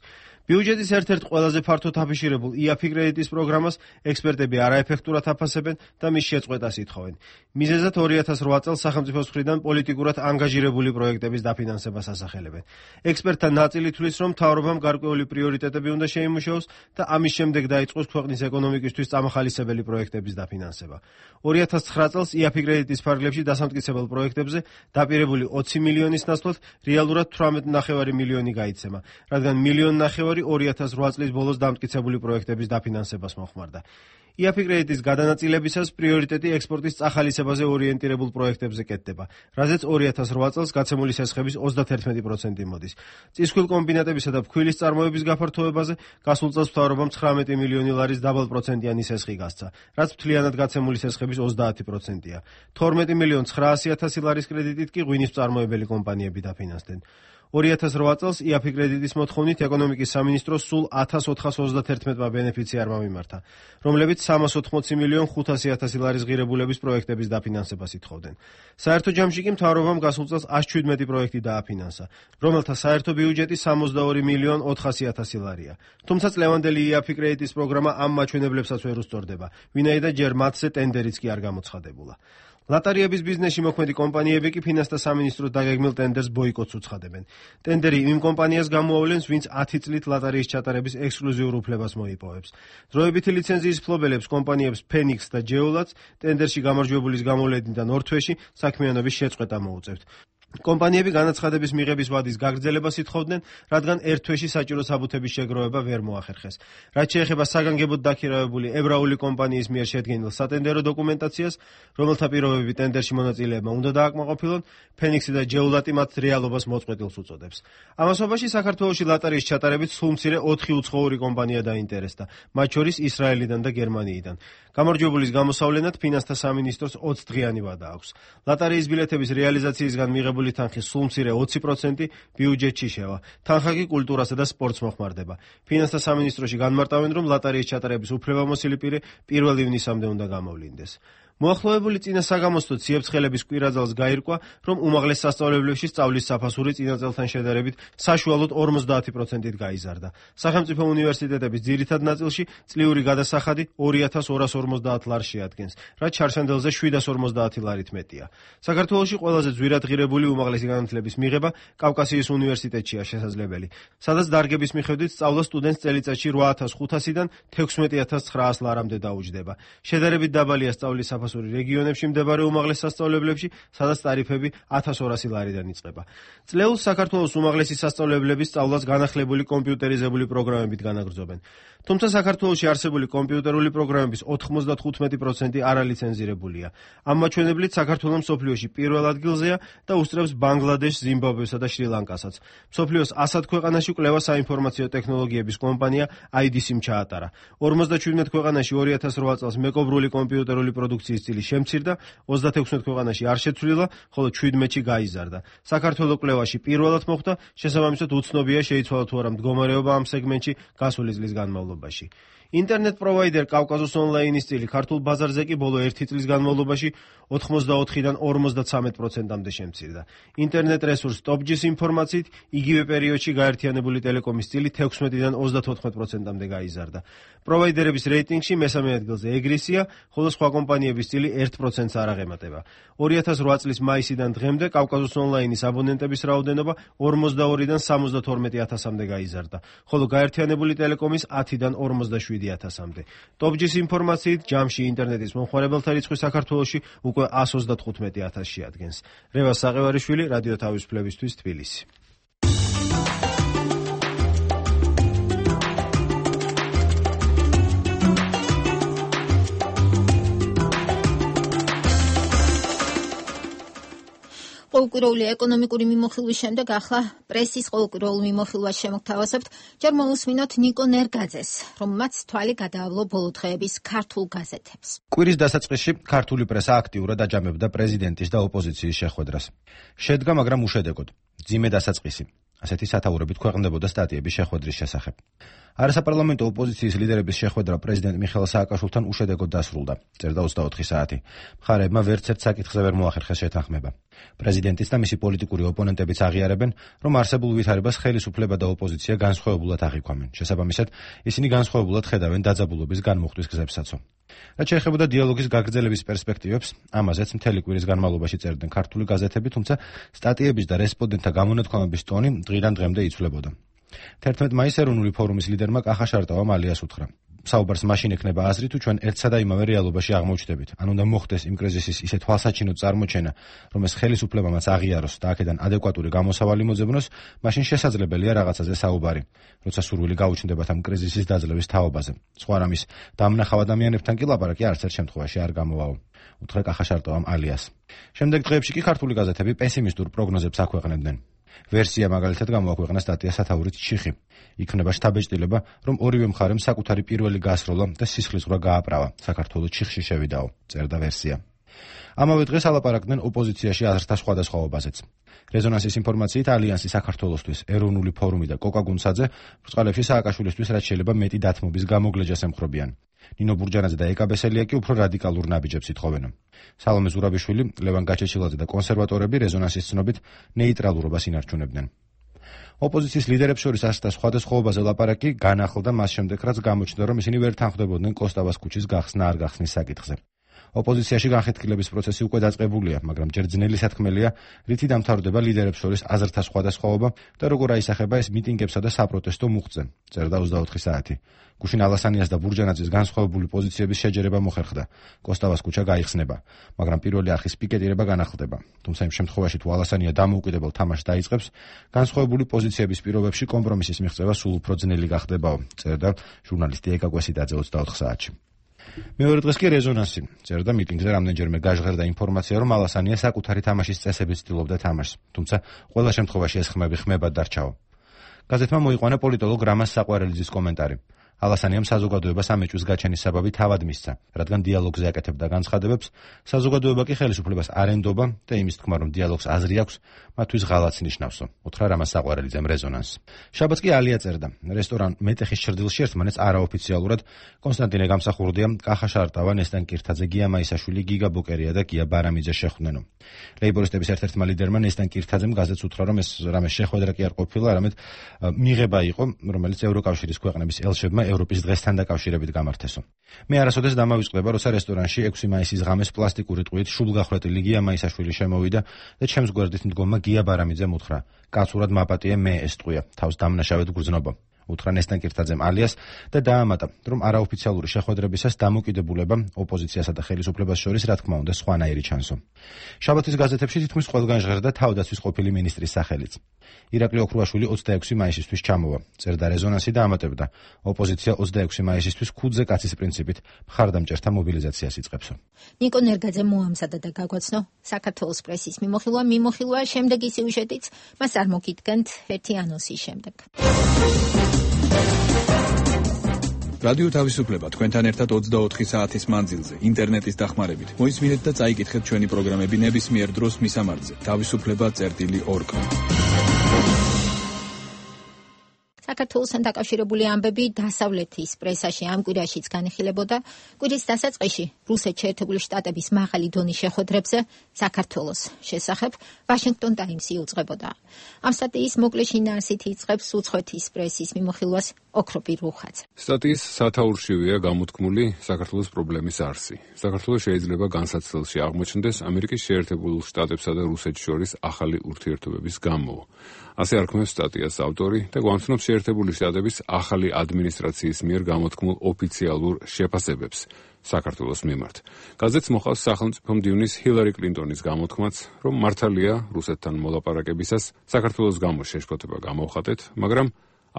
ბიუჯეტის ერთ-ერთ ყველაზე ფართოდ აფიშირებულ IAFI კრედიტის პროგრამას ექსპერტები არაეფექტურად აფასებენ და მის შეწყვეტას ითხოვენ. მიზეზად 2008 წელს სახელმწიფოს მხრიდან პოლიტიკურად ანგაჟირებული პროექტების დაფინანსებას ასახელებენ. ექსპერტთა ნაწილი თვლის, რომ მთავრობამ გარკვეული პრიორიტეტები უნდა შეიმუშაოს და ამის შემდეგ დაიწყოს ქვეყნის ეკონომიკისთვის წამახალისებელი პროექტების დაფინანსება. 2009 წელს IAFI კრედიტის ფარგლებში დასამტკიცებელ პროექტებზე დაპირებული 20 მილიონის ნაცვლად რეალურად 18,5 მილიონი გაიცემა, რადგან 1,5 მილიონი 2008 წლის ბოლოს დამტკიცებული პროექტების დაფინანსებას მოხმარდა. IAFI კრედიტის გადანაწილებისას პრიორიტეტი ექსპორტის წახალისებაზე ორიენტირებულ პროექტებზე კეთდება, რაზეც 2008 წელს გაცემული სესხების 31% მოდის. წისქვილ კომბინატებისა და ფქვილის წარმოების გაფართოებაზე გასულ წელს მთავრობამ 19 მილიონი ლარის დაბალპროცენტიანი სესხი გასცა, რაც მთლიანად გაცემული სესხების 30%-ია. 12,900,000 ლარის კრედიტით კი ღვინის მწარმოებელი კომპანიები დაფინანსდნენ. 2008 წელს IAFI კრედიტის მოთხოვნით ეკონომიკის სამინისტროს სულ 1421 ბენეფიციარმა მიმართა, რომლებიც 380,500,000 ლარის ღირებულების პროექტების დაფინანსებას ითხოვდნენ. საერთო ჯამში კი მთავრობამ გასულ წელს 117 პროექტი დააფინანსა, რომელთა საერთო ბიუჯეტი 62,400,000 ლარია. თუმცა წლევანდელი IAFI კრედიტის პროგრამა ამ მაჩვენებლებსაც ვერ უსწორდება, ვინაიდან ჯერ მათზე ტენდერიც კი არ გამოცხადებულა. ლატარიების ბიზნესში მოქმედი კომპანიები კი ფინანსთა სამინისტროს დაგეგმილ ტენდერს ბოიკოტს უცხადებენ. ტენდერი იმ კომპანიას გამოავლენს, ვინც 10 წლით ლატარიის ჩატარების ექსკლუზიურ უფლებას მოიპოვებს. დროებითი ლიცენზიის მფლობელებს კომპანიებს Phoenix და Geolats ტენდერში გამარჯვებულის გამოვლენიდან 2 თვეში საქმიანობის შეწყვეტა მოუწევთ. კომპანიები განაცხადების მიღების ვადის გაგრძელებას ითხოვდნენ, რადგან ერთ თვეში საჭირო საბუთების შეგროვება ვერ მოახერხეს. რაც შეეხება საგანგებოდ დაქირავებული ებრაული კომპანიის მიერ შედგენილ სატენდერო დოკუმენტაციას, რომელთა პირობები ტენდერში მონაწილეებმა უნდა დააკმაყოფილონ, ფენიქსი და ჯეულატი მათ რეალობას მოწყვეტილს უწოდებს. ამასობაში საქართველოში ლატარიის ჩატარებით სულ მცირე 4 უცხოური კომპანია დაინტერესდა, მათ შორის ისრაელიდან და გერმანიიდან. გამარჯვებულის გამოსავლენად ფინანსთა სამინისტროს 20 დღიანი ვადა აქვს. ლატარიის ბილეთების რეალიზაციისგან მიღებული თანხის სულ მცირე 20% ბიუჯეტში შევა. თანხა კი კულტურასა და სპორტს მოხმარდება. ფინანსთა სამინისტროში განმარტავენ, რომ ლატარიის ჩატარების უფლებამოსილი პირი 1 ივნისამდე უნდა გამოვლინდეს. მოახლოებული წინა საგამოსტო ციებ-ცხელების კვირაძალს გაირკვა, რომ უმაღლეს სასწავლებლებში სწავლის საფასური წინა წელთან შედარებით საშუალოდ 50%-ით გაიზარდა. სახელმწიფო უნივერსიტეტების ძირითად ნაწილში წლიური გადასახადი 2250 ლარს შეადგენს, რაც ჩარჩენდელზე 750 ლარით მეტია. საქართველოში ყველაზე ძვირად ღირებული უმაღლესი განათლების მიღება კავკასიის უნივერსიტეტშია შესაძლებელი, სადაც დარგების მიხედვით სწავლა სტუდენტს წელიწადში 8500-დან 16900 ლარამდე დაუჯდება. შედარებით დაბალია სწავლის საფასური რეგიონებში მდებარე უმაღლეს სასწავლებლებში, სადაც ტარიფები 1200 ლარიდან იწყება. წლეულს საქართველოს უმაღლესი სასწავლებლები სწავლას განახლებული კომპიუტერიზებული პროგრამებით განაგრძობენ. თუმცა საქართველოში არსებული კომპიუტერული პროგრამების 95% არალიცენზირებულია. ამ მაჩვენებლით საქართველო მსოფლიოში პირველ ადგილზეა და უსწრებს ბანგლადეშს, ზიმბაბვესა და შრი-ლანკასაც. მსოფლიოს 100 ქვეყანაში კვლევა საინფორმაციო ტექნოლოგიების კომპანია IDC-მ ჩაატარა. 57 ქვეყანაში 2008 წელს მეკობრული კომპიუტერული პროდუქციის წილი შემცირდა, 36 ქვეყანაში არ შეცვლილა, ხოლო 17-ში გაიზარდა. საქართველოს კვლევაში პირველად მოხვდა, შესაბამისად უცნობია შეიცვალა თუ არა მდგომარეობა ამ სეგმენტში გასული წლის განმავლობაში. ინტერნეტ პროვაიდერ კავკასუს ონლაინის წილი ქართულ ბაზარზე კი ბოლო 1 წლის განმავლობაში 84-დან 53%-მდე შემცირდა. ინტერნეტ რესურს TopGIS ინფორმაციით იგივე პერიოდში გაერთიანებული ტელეკომის წილი 16-დან 34%-მდე გაიზარდა. პროვაიდერების რეიტინგში მესამე ადგილზე ეგრისია, ხოლო სხვა კომპანიების წილი 1%-ს არ აღემატება. 2008 წლის მაისიდან დღემდე კავკასუს ონლაინის აბონენტების რაოდენობა 42-დან 72000-მდე გაიზარდა, ხოლო გაერთიანებული ტელეკომის 10-დან 47000-მდე. TopGIS ინფორმაციით ჯამში ინტერნეტის მომხმარებელთა რიცხვი საქართველოში უკვე 135000 შეადგენს. რევას საყევარიშვილი, რადიო თავისუფლებისთვის, თბილისი. ყოველკვირეული ეკონომიკური მიმოხილვის შემდეგ ახლა პრესის ყოველკვირეულ მიმოხილვას შემოგთავაზებთ. ჯერ მოусმინოთ ნიკო ნერგაძეს, რომელმაც თვალი გადაავლო ბოლო დღეების ქართულ გაზეთებს. კვირის დასაწყისში ქართული პრესა აქტიურად აჯამებდა პრეზიდენტის და ოპოზიციის შეხვედრას. შედგა, მაგრამ უშედეგოდ. ძიმე დასაწყისი. ასეთი სათაურებით ქვეყნდებოდა სტატიების შეხვედრის შესახებ. არასაპარლამენტო ოპოზიციის ლიდერების შეხვედრა პრეზიდენტ მიხეილ სააკაშვილთან უშედეგოდ დასრულდა. წერდა 24 საათი. მხარეებმა ვერცერთ საკითხზე ვერ მოახერხეს შეთანხმება. პრეზიდენტიც და მისი პოლიტიკური ოპონენტებიც აღიარებენ, რომ არსებულ ვითარებას ხელისუფლება და ოპოზიცია განსხვავებულად აღიქვამენ. შესაბამისად, ისინი განსხვავებულად ხედავენ დაძაბულობის განმუხტვის გზებსაცო. რაც შეეხებოდა დიალოგის გაგრძელების პერსპექტივებს, ამაზეც მთელი კვირის განმავლობაში წერდნენ ქართული გაზეთები, თუმცა სტატიების და რესპონდენტთა გამონათქვამების ტონი დღიდან დღემდე იცვლებოდა. 11 მაისს ეროვნული ფორუმის ლიდერმა კახა შარტავამ ალიას უთხრა: საუბარს მაშინ ექნება აზრი, თუ ჩვენ ერთსა და იმავე რეალობაში აღმოჩნდებით. ან უნდა მოხდეს იმ კრიზისის ისე თვალსაჩინო წარმოჩენა, რომ ეს ხელისუფლებამაც აღიაროს და აქედან ადეკვატური გამოსავალი მოძებნოს, მაშინ შესაძლებელია რაღაცაზე საუბარი, როცა სურვილი გაუჩნდებათ ამ კრიზისის დაძლევის თაობაზე. სხვა რამის დამნახავ ადამიანებთან კი ლაპარაკი არც ერთ შემთხვევაში არ გამოვაო. უთხრა კახა შარტავამ ალიას. შემდეგ დღეებში კი ქართული გაზეთები პესიმისტურ პროგნოზებს აქვეყნებდნენ. ვერსია მაგალითად გამოაქვეყნა სტატია სათაურით ჩიხი. იქნება შთაბეჭდილება, რომ ორივე მხარემ საკუთარი პირველი გასროლა და სისხლისღვრა გააправა. საქართველოს ჩიხში შევიდაო, წერდა ვერსია. ამავე დღეს ალაპარაკდნენ ოპოზიციაში აზრთა სხვადასხვაობაზეც. რეზონანსის ინფორმაციით ალიანსი საქართველოსთვის, ეროვნული ფორუმი და კოკა გუნცაძე ბრწყალებში სააკაშვილისთვის რაც შეიძლება მეტი დათმობის გამოგლეჯას ემხრობიან. ნინო ბურჯანაძე და ეკა ბესელია კი უფრო რადიკალურ ნაბიჯებს ითხოვენ. სალომე ზურაბიშვილი, ლევან გაჩეჩილაძე და კონსერვატორები რეზონანსის ცნობით ნეიტრალურობას ინარჩუნებდნენ. ოპოზიციის ლიდერებს შორის აზრთა სხვადასხვაობაზე ლაპარაკი განახლდა მას შემდეგ, რაც გამოჩნდა, რომ ისინი ვერ თანხმდებოდნენ კოსტავას ქუჩის გახსნა არ გახსნის საკითხზე. ოპოზიციაში განხეთქილების პროცესი უკვე დაწყებულია, მაგრამ ჯერ ძნელი სათქმელია, რითი დამთავრდება ლიდერებს შორის აზრთა სხვადასხვაობა და როგორ აისახება ეს მიტინგებსა და საპროტესტო მუხტზე. წერდა 24 საათი. გუშინ ალასანიას და ბურჯანაძის განსხვავებული პოზიციების შეჯერება მოხერხდა. კოსტავას ქუჩა გაიხსნება, მაგრამ პირველი არხის პიკეტირება განახლდება. თუმცა იმ შემთხვევაში თუ ალასანია დამოუკიდებელ თამაშს დაიწყებს, განსხვავებული პოზიციების პირობებში კომპრომისის მიღწევა სულ უფრო ძნელი გახდებაო, წერდა ჟურნალისტი ეკა კვესიდაძე 24 საათში. მეორე დღეს კი რეზონანსი. წერდა მიტინგზე რამდენჯერმე გაჟღერდა ინფორმაცია, რომ ალასანია საკუთარი თამაშის წესებით ცდილობდა თამაშს, თუმცა ყველა შემთხვევაში ეს ხმები ხმებად დარჩაო. გაზეთმა მოიყვანა პოლიტოლოგ რამაზ საყვარელიძის კომენტარი. ალასანიამ საზოგადოებას ამ ეჭვის გაჩენის საბაბი თავად მისცა, რადგან დიალოგზე აკეთებდა განცხადებებს, საზოგადოება კი ხელისუფლებას არ ენდობა და იმის თქმა, რომ დიალოგს აზრი აქვს, მათთვის ღალატს ნიშნავსო. უთხრა რამაზ საყვარელიძემ რეზონანსს. შაბათს კი ალია წერდა. რესტორან მეტეხის ჭრდილში ერთმანეთს არაოფიციალურად კონსტანტინე გამსახურდია, კახა შარტავა, ნესტან კირთაძე, გია მაისაშვილი, გიგა ბოკერია და გია ბარამიძე შეხვდნენო. ლეიბორისტების ერთ-ერთმა ლიდერმა ნესტან კირთაძემ გაზეთს უთხრა, რომ ეს რამე შეხვედრა კი არ ყოფილა, არამედ მიღება იყო, რომელიც ევროკავშირის ქვეყნების ელჩებმა ევროპის დღესთან დაკავშირებით გამართესო. მე არასოდეს დამავიწყდება, როცა რესტორანში 6 მაისის ღამეს პლასტიკური ტყუით შუბლგახრეტილი გია მაისაშვილი შემოვიდა და ჩემს გვერდით მდგომმა გია ბარამიძემ უთხრა: "კაცურად მაპატიე მე ეს ტყუია, თავს დამნაშავედ გრძნობ." უთხრა ნესტან კირთაძემ ალიას და დაამატა, რომ არაოფიციალური შეხვედრებისას დამოკიდებულება ოპოზიციასა და ხელისუფლებას შორის რა თქმა უნდა სხვანაირი ჩანსო. შაბათის გაზეთებში თითქმის ყველგან ჟღერდა თავდაცვის ყოფილი მინისტრის სახელიც. ირაკლი ოქრუაშვილი 26 მაისისთვის ჩამოვა. წერდა რეზონანსი და ამატებდა: ოპოზიცია 26 მაისისთვის ქუდზე კაცის პრინციპით მხარდამჭერთა მობილიზაციას იწყებსო. ნიკო ნერგაძე მოამზადა და გაგვაცნო საქართველოს პრესის მიმოხილვა შემდეგი სიუჟეტიც მას არ მოგიდგენთ ერთი ანონსის შემდეგ. რადიო თავისუფლება თქვენთან ერთად 24 საათის მანძილზე ინტერნეტის დახმარებით. მოისმინეთ და წაიკითხეთ ჩვენი პროგრამები ნებისმიერ დროს მისამართზე. თავისუფლება.org. საქართველოსთან დაკავშირებული ამბები დასავლეთის პრესაში ამ კვირაშიც განიხილებოდა. კვირის დასაწყისში რუსეთში ერთებული შტატების მაღალი დონის შეხვედრებზე საქართველოს შესახებ ვაშინგტონ ტაიმსი უძღვებოდა. ამ სტატიის მოკლე შინაარსით იწყებს უცხოეთის პრესის მიმოხილვას ოქროპი რუხაძე. სტატიის სათაურშივია გამოთქმული საქართველოს პრობლემის არსი. საქართველოს შეიძლება განსაცდელში აღმოჩნდეს ამერიკის შეერთებულ შტატებსა და რუსეთს შორის ახალი ურთიერთობების გამო. ასე არქმევს სტატიას ავტორი და გვამცნობს შეერთებული შტატების ახალი ადმინისტრაციის მიერ გამოთქმულ ოფიციალურ შეფასებებს საქართველოს მიმართ. გაზეთს მოყავს სახელმწიფო მდივნის ჰილარი კლინტონის გამოთქმაც, რომ მართალია რუსეთთან მოლაპარაკებისას საქართველოს გამო შეშფოთება გამოვხატეთ, მაგრამ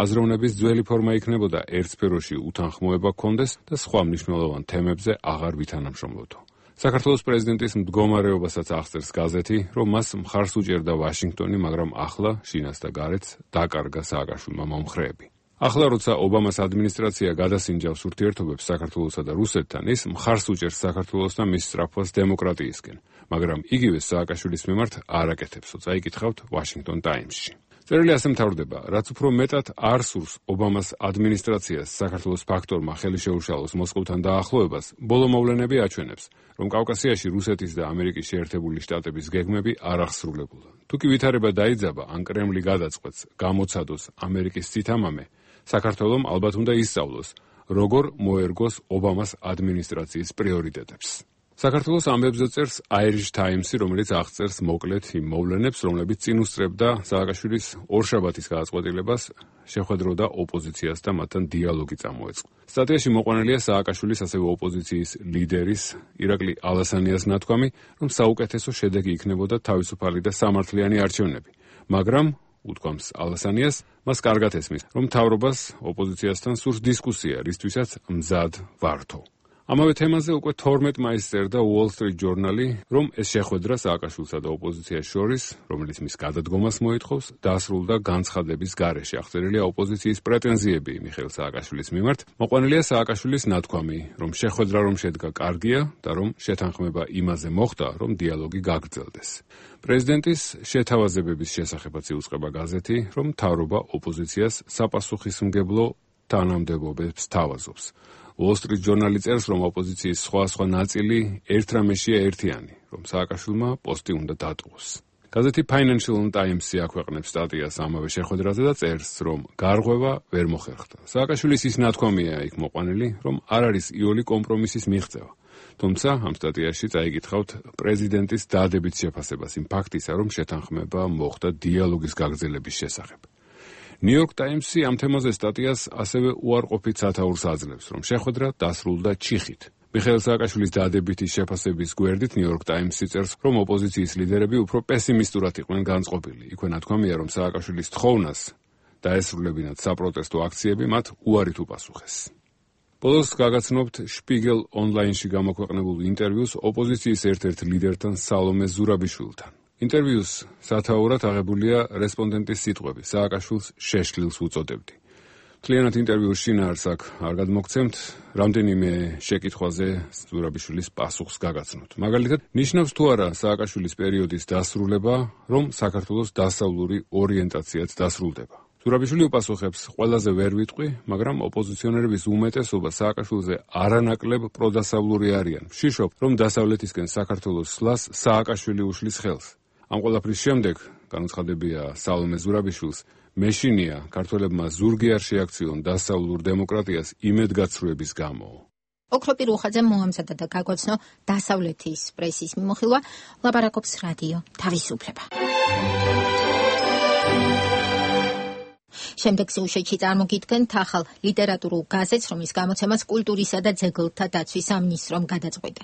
აზროვნების ძველი ფორმა იქნებოდა ერთ სფეროში უთანხმოება გქონდეს და სხვა მნიშვნელოვან თემებზე აღარ ვითანამშრომლობდო. საქართველოს პრეზიდენტის მდგომარეობასაც აღწერს გაზეთი, რომ მას მხარს უჭერდა ვაშინგტონი, მაგრამ ახლა შინას და გარეთს დაკარგა სააკაშვილმა მომხრეები. ახლა როცა ობამას ადმინისტრაცია გადასინჯავს ურთიერთობებს საქართველოსა და რუსეთთან, ის მხარს უჭერს საქართველოს და მის სწრაფვას დემოკრატიისკენ, მაგრამ იგივე სააკაშვილის მიმართ არ აკეთებსო. წაიკითხავთ ვაშინგტონ ტაიმსში. წერილი ასე მთავრდება, რაც უფრო მეტად არ სურს ობამას ადმინისტრაციას საქართველოს ფაქტორმა ხელი შეუშალოს მოსკოვთან დაახლოებას, ბოლო მოვლენები აჩვენებს, რომ კავკასიაში რუსეთის და ამერიკის შეერთებული შტატების გეგმები არ აღსრულებულა. თუ კი ვითარება დაიძაბა, ან კრემლი გადაწყვეტს გამოცადოს ამერიკის ცითამამე, საქართველომ ალბათ უნდა ისწავლოს, როგორ მოერგოს ობამას ადმინისტრაციის პრიორიტეტებს. საქართველოს ამბებზე წერს Irish Times-ი, რომელიც აღწერს მოკლედ იმ მოვლენებს, რომლებიც წინ უსწრებდა სააკაშვილის ორშაბათის გადაწყვეტილებას შეხვედროდა ოპოზიციას და მათთან დიალოგი წამოეწყო. სტატიაში მოყვანილია სააკაშვილის ასევე ოპოზიციის ლიდერის ირაკლი ალასანიას ნათქვამი, რომ საუკეთესო შედეგი იქნებოდა თავისუფალი და სამართლიანი არჩევნები, მაგრამ უთქვამს ალასანიას, მას კარგად ესმის, რომ მთავრობას ოპოზიციასთან სურს დისკუსია, რისთვისაც მზად ვართო. ამავე თემაზე უკვე 12 მაისს წერდა Wall Street Journal-ი, რომ ეს შეხვედრა სააკაშვილსა და ოპოზიციას შორის, რომელიც მის გადადგომას მოითხოვს, დასრულდა განცხადების გარეშე. აღწერილია ოპოზიციის პრეტენზიები მიხეილ სააკაშვილის მიმართ. მოყვანილია სააკაშვილის ნათქვამი, რომ შეხვედრა რომ შედგა კარგია და რომ შეთანხმება იმაზე მოხდა, რომ დიალოგი გაგრძელდეს. პრეზიდენტის შეთავაზებების შესახებაც იუწყება გაზეთი, რომ მთავრობა ოპოზიციას საპასუხისმგებლო თანამდებობებს თავაზობს. Wall Street Journal-ი წერს, რომ ოპოზიციის სხვა ნაწილი ერთ რამეშია ერთიანი, რომ სააკაშვილმა პოსტი უნდა დატოვოს. გაზეთი Financial Times-ი აქვეყნებს სტატიას ამავე შეხვედრაზე და წერს, რომ გარღვევა ვერ მოხერხდა. სააკაშვილის ის ნათქვამია იქ მოყვანილი, რომ არ არის იოლი კომპრომისის მიღწევა. თუმცა ამ სტატიაში წაიკითხავთ პრეზიდენტის დადებით შეფასებას იმ ფაქტისა, რომ შეთანხმება მოხდა დიალოგის გაგრძელების შესახებ. New York Times-ი ამ თემაზე სტატიას ასევე უარყოფით სათაურს აძლევს, რომ შეხვედრა დასრულდა ჩიხით. მიხეილ სააკაშვილის დადებითი შეფასების გვერდით New York Times-ი წერს, რომ ოპოზიციის ლიდერები უფრო პესიმისტურად იყვნენ განწყობილი. იქვე ნათქვამია, რომ სააკაშვილის თხოვნას დაესრულებინათ საპროტესტო აქციები მათ უარით უპასუხეს. ბოლოს გაგაცნობთ Spiegel Online-ში გამოქვეყნებულ ინტერვიუს ოპოზიციის ერთ-ერთ ლიდერთან სალომე ზურაბიშვილთან. ინტერვიუს სათაურად აღებულია რესპონდენტის სიტყვები, სააკაშვილს შეშლილს უწოდებდი. მთლიანად ინტერვიუს შინაარს აქ არ გადმოგცემთ, რამდენიმე შეკითხვაზე ზურაბიშვილის პასუხს გაგაცნობთ. მაგალითად, ნიშნავს თუ არა სააკაშვილის პერიოდის დასრულება, რომ საქართველოს დასავლური ორიენტაციაც დასრულდება. ზურაბიშვილი უპასუხებს, ყველაზე ვერ ვიტყვი, მაგრამ ოპოზიციონერების უმეტესობა სააკაშვილზე არანაკლებ პროდასავლური არიან. ვშიშობ, რომ დასავლეთისკენ საქართველოს სვლას სააკაშვილი უშლის ხელს. ამ ყველაფრის შემდეგ, განუცხადებია სალომე ზურაბიშვილს, მეშინია ქართველებმა ზურგი არ შეაქციონ დასავლურ დემოკრატიას იმედგაცრუების გამო. ოქროპი რუხაძემ მოამზადა და გაგვაცნო დასავლეთის პრესის მიმოხილვა, ლაპარაკობს რადიო თავისუფლება. შემდეგ სიუჟეტში წარმოგიდგენთ ახალ ლიტერატურულ გაზეთს, რომლის გამოცემას კულტურისა და ძეგლთა დაცვის სამინისტრომ გადაწყვიტა.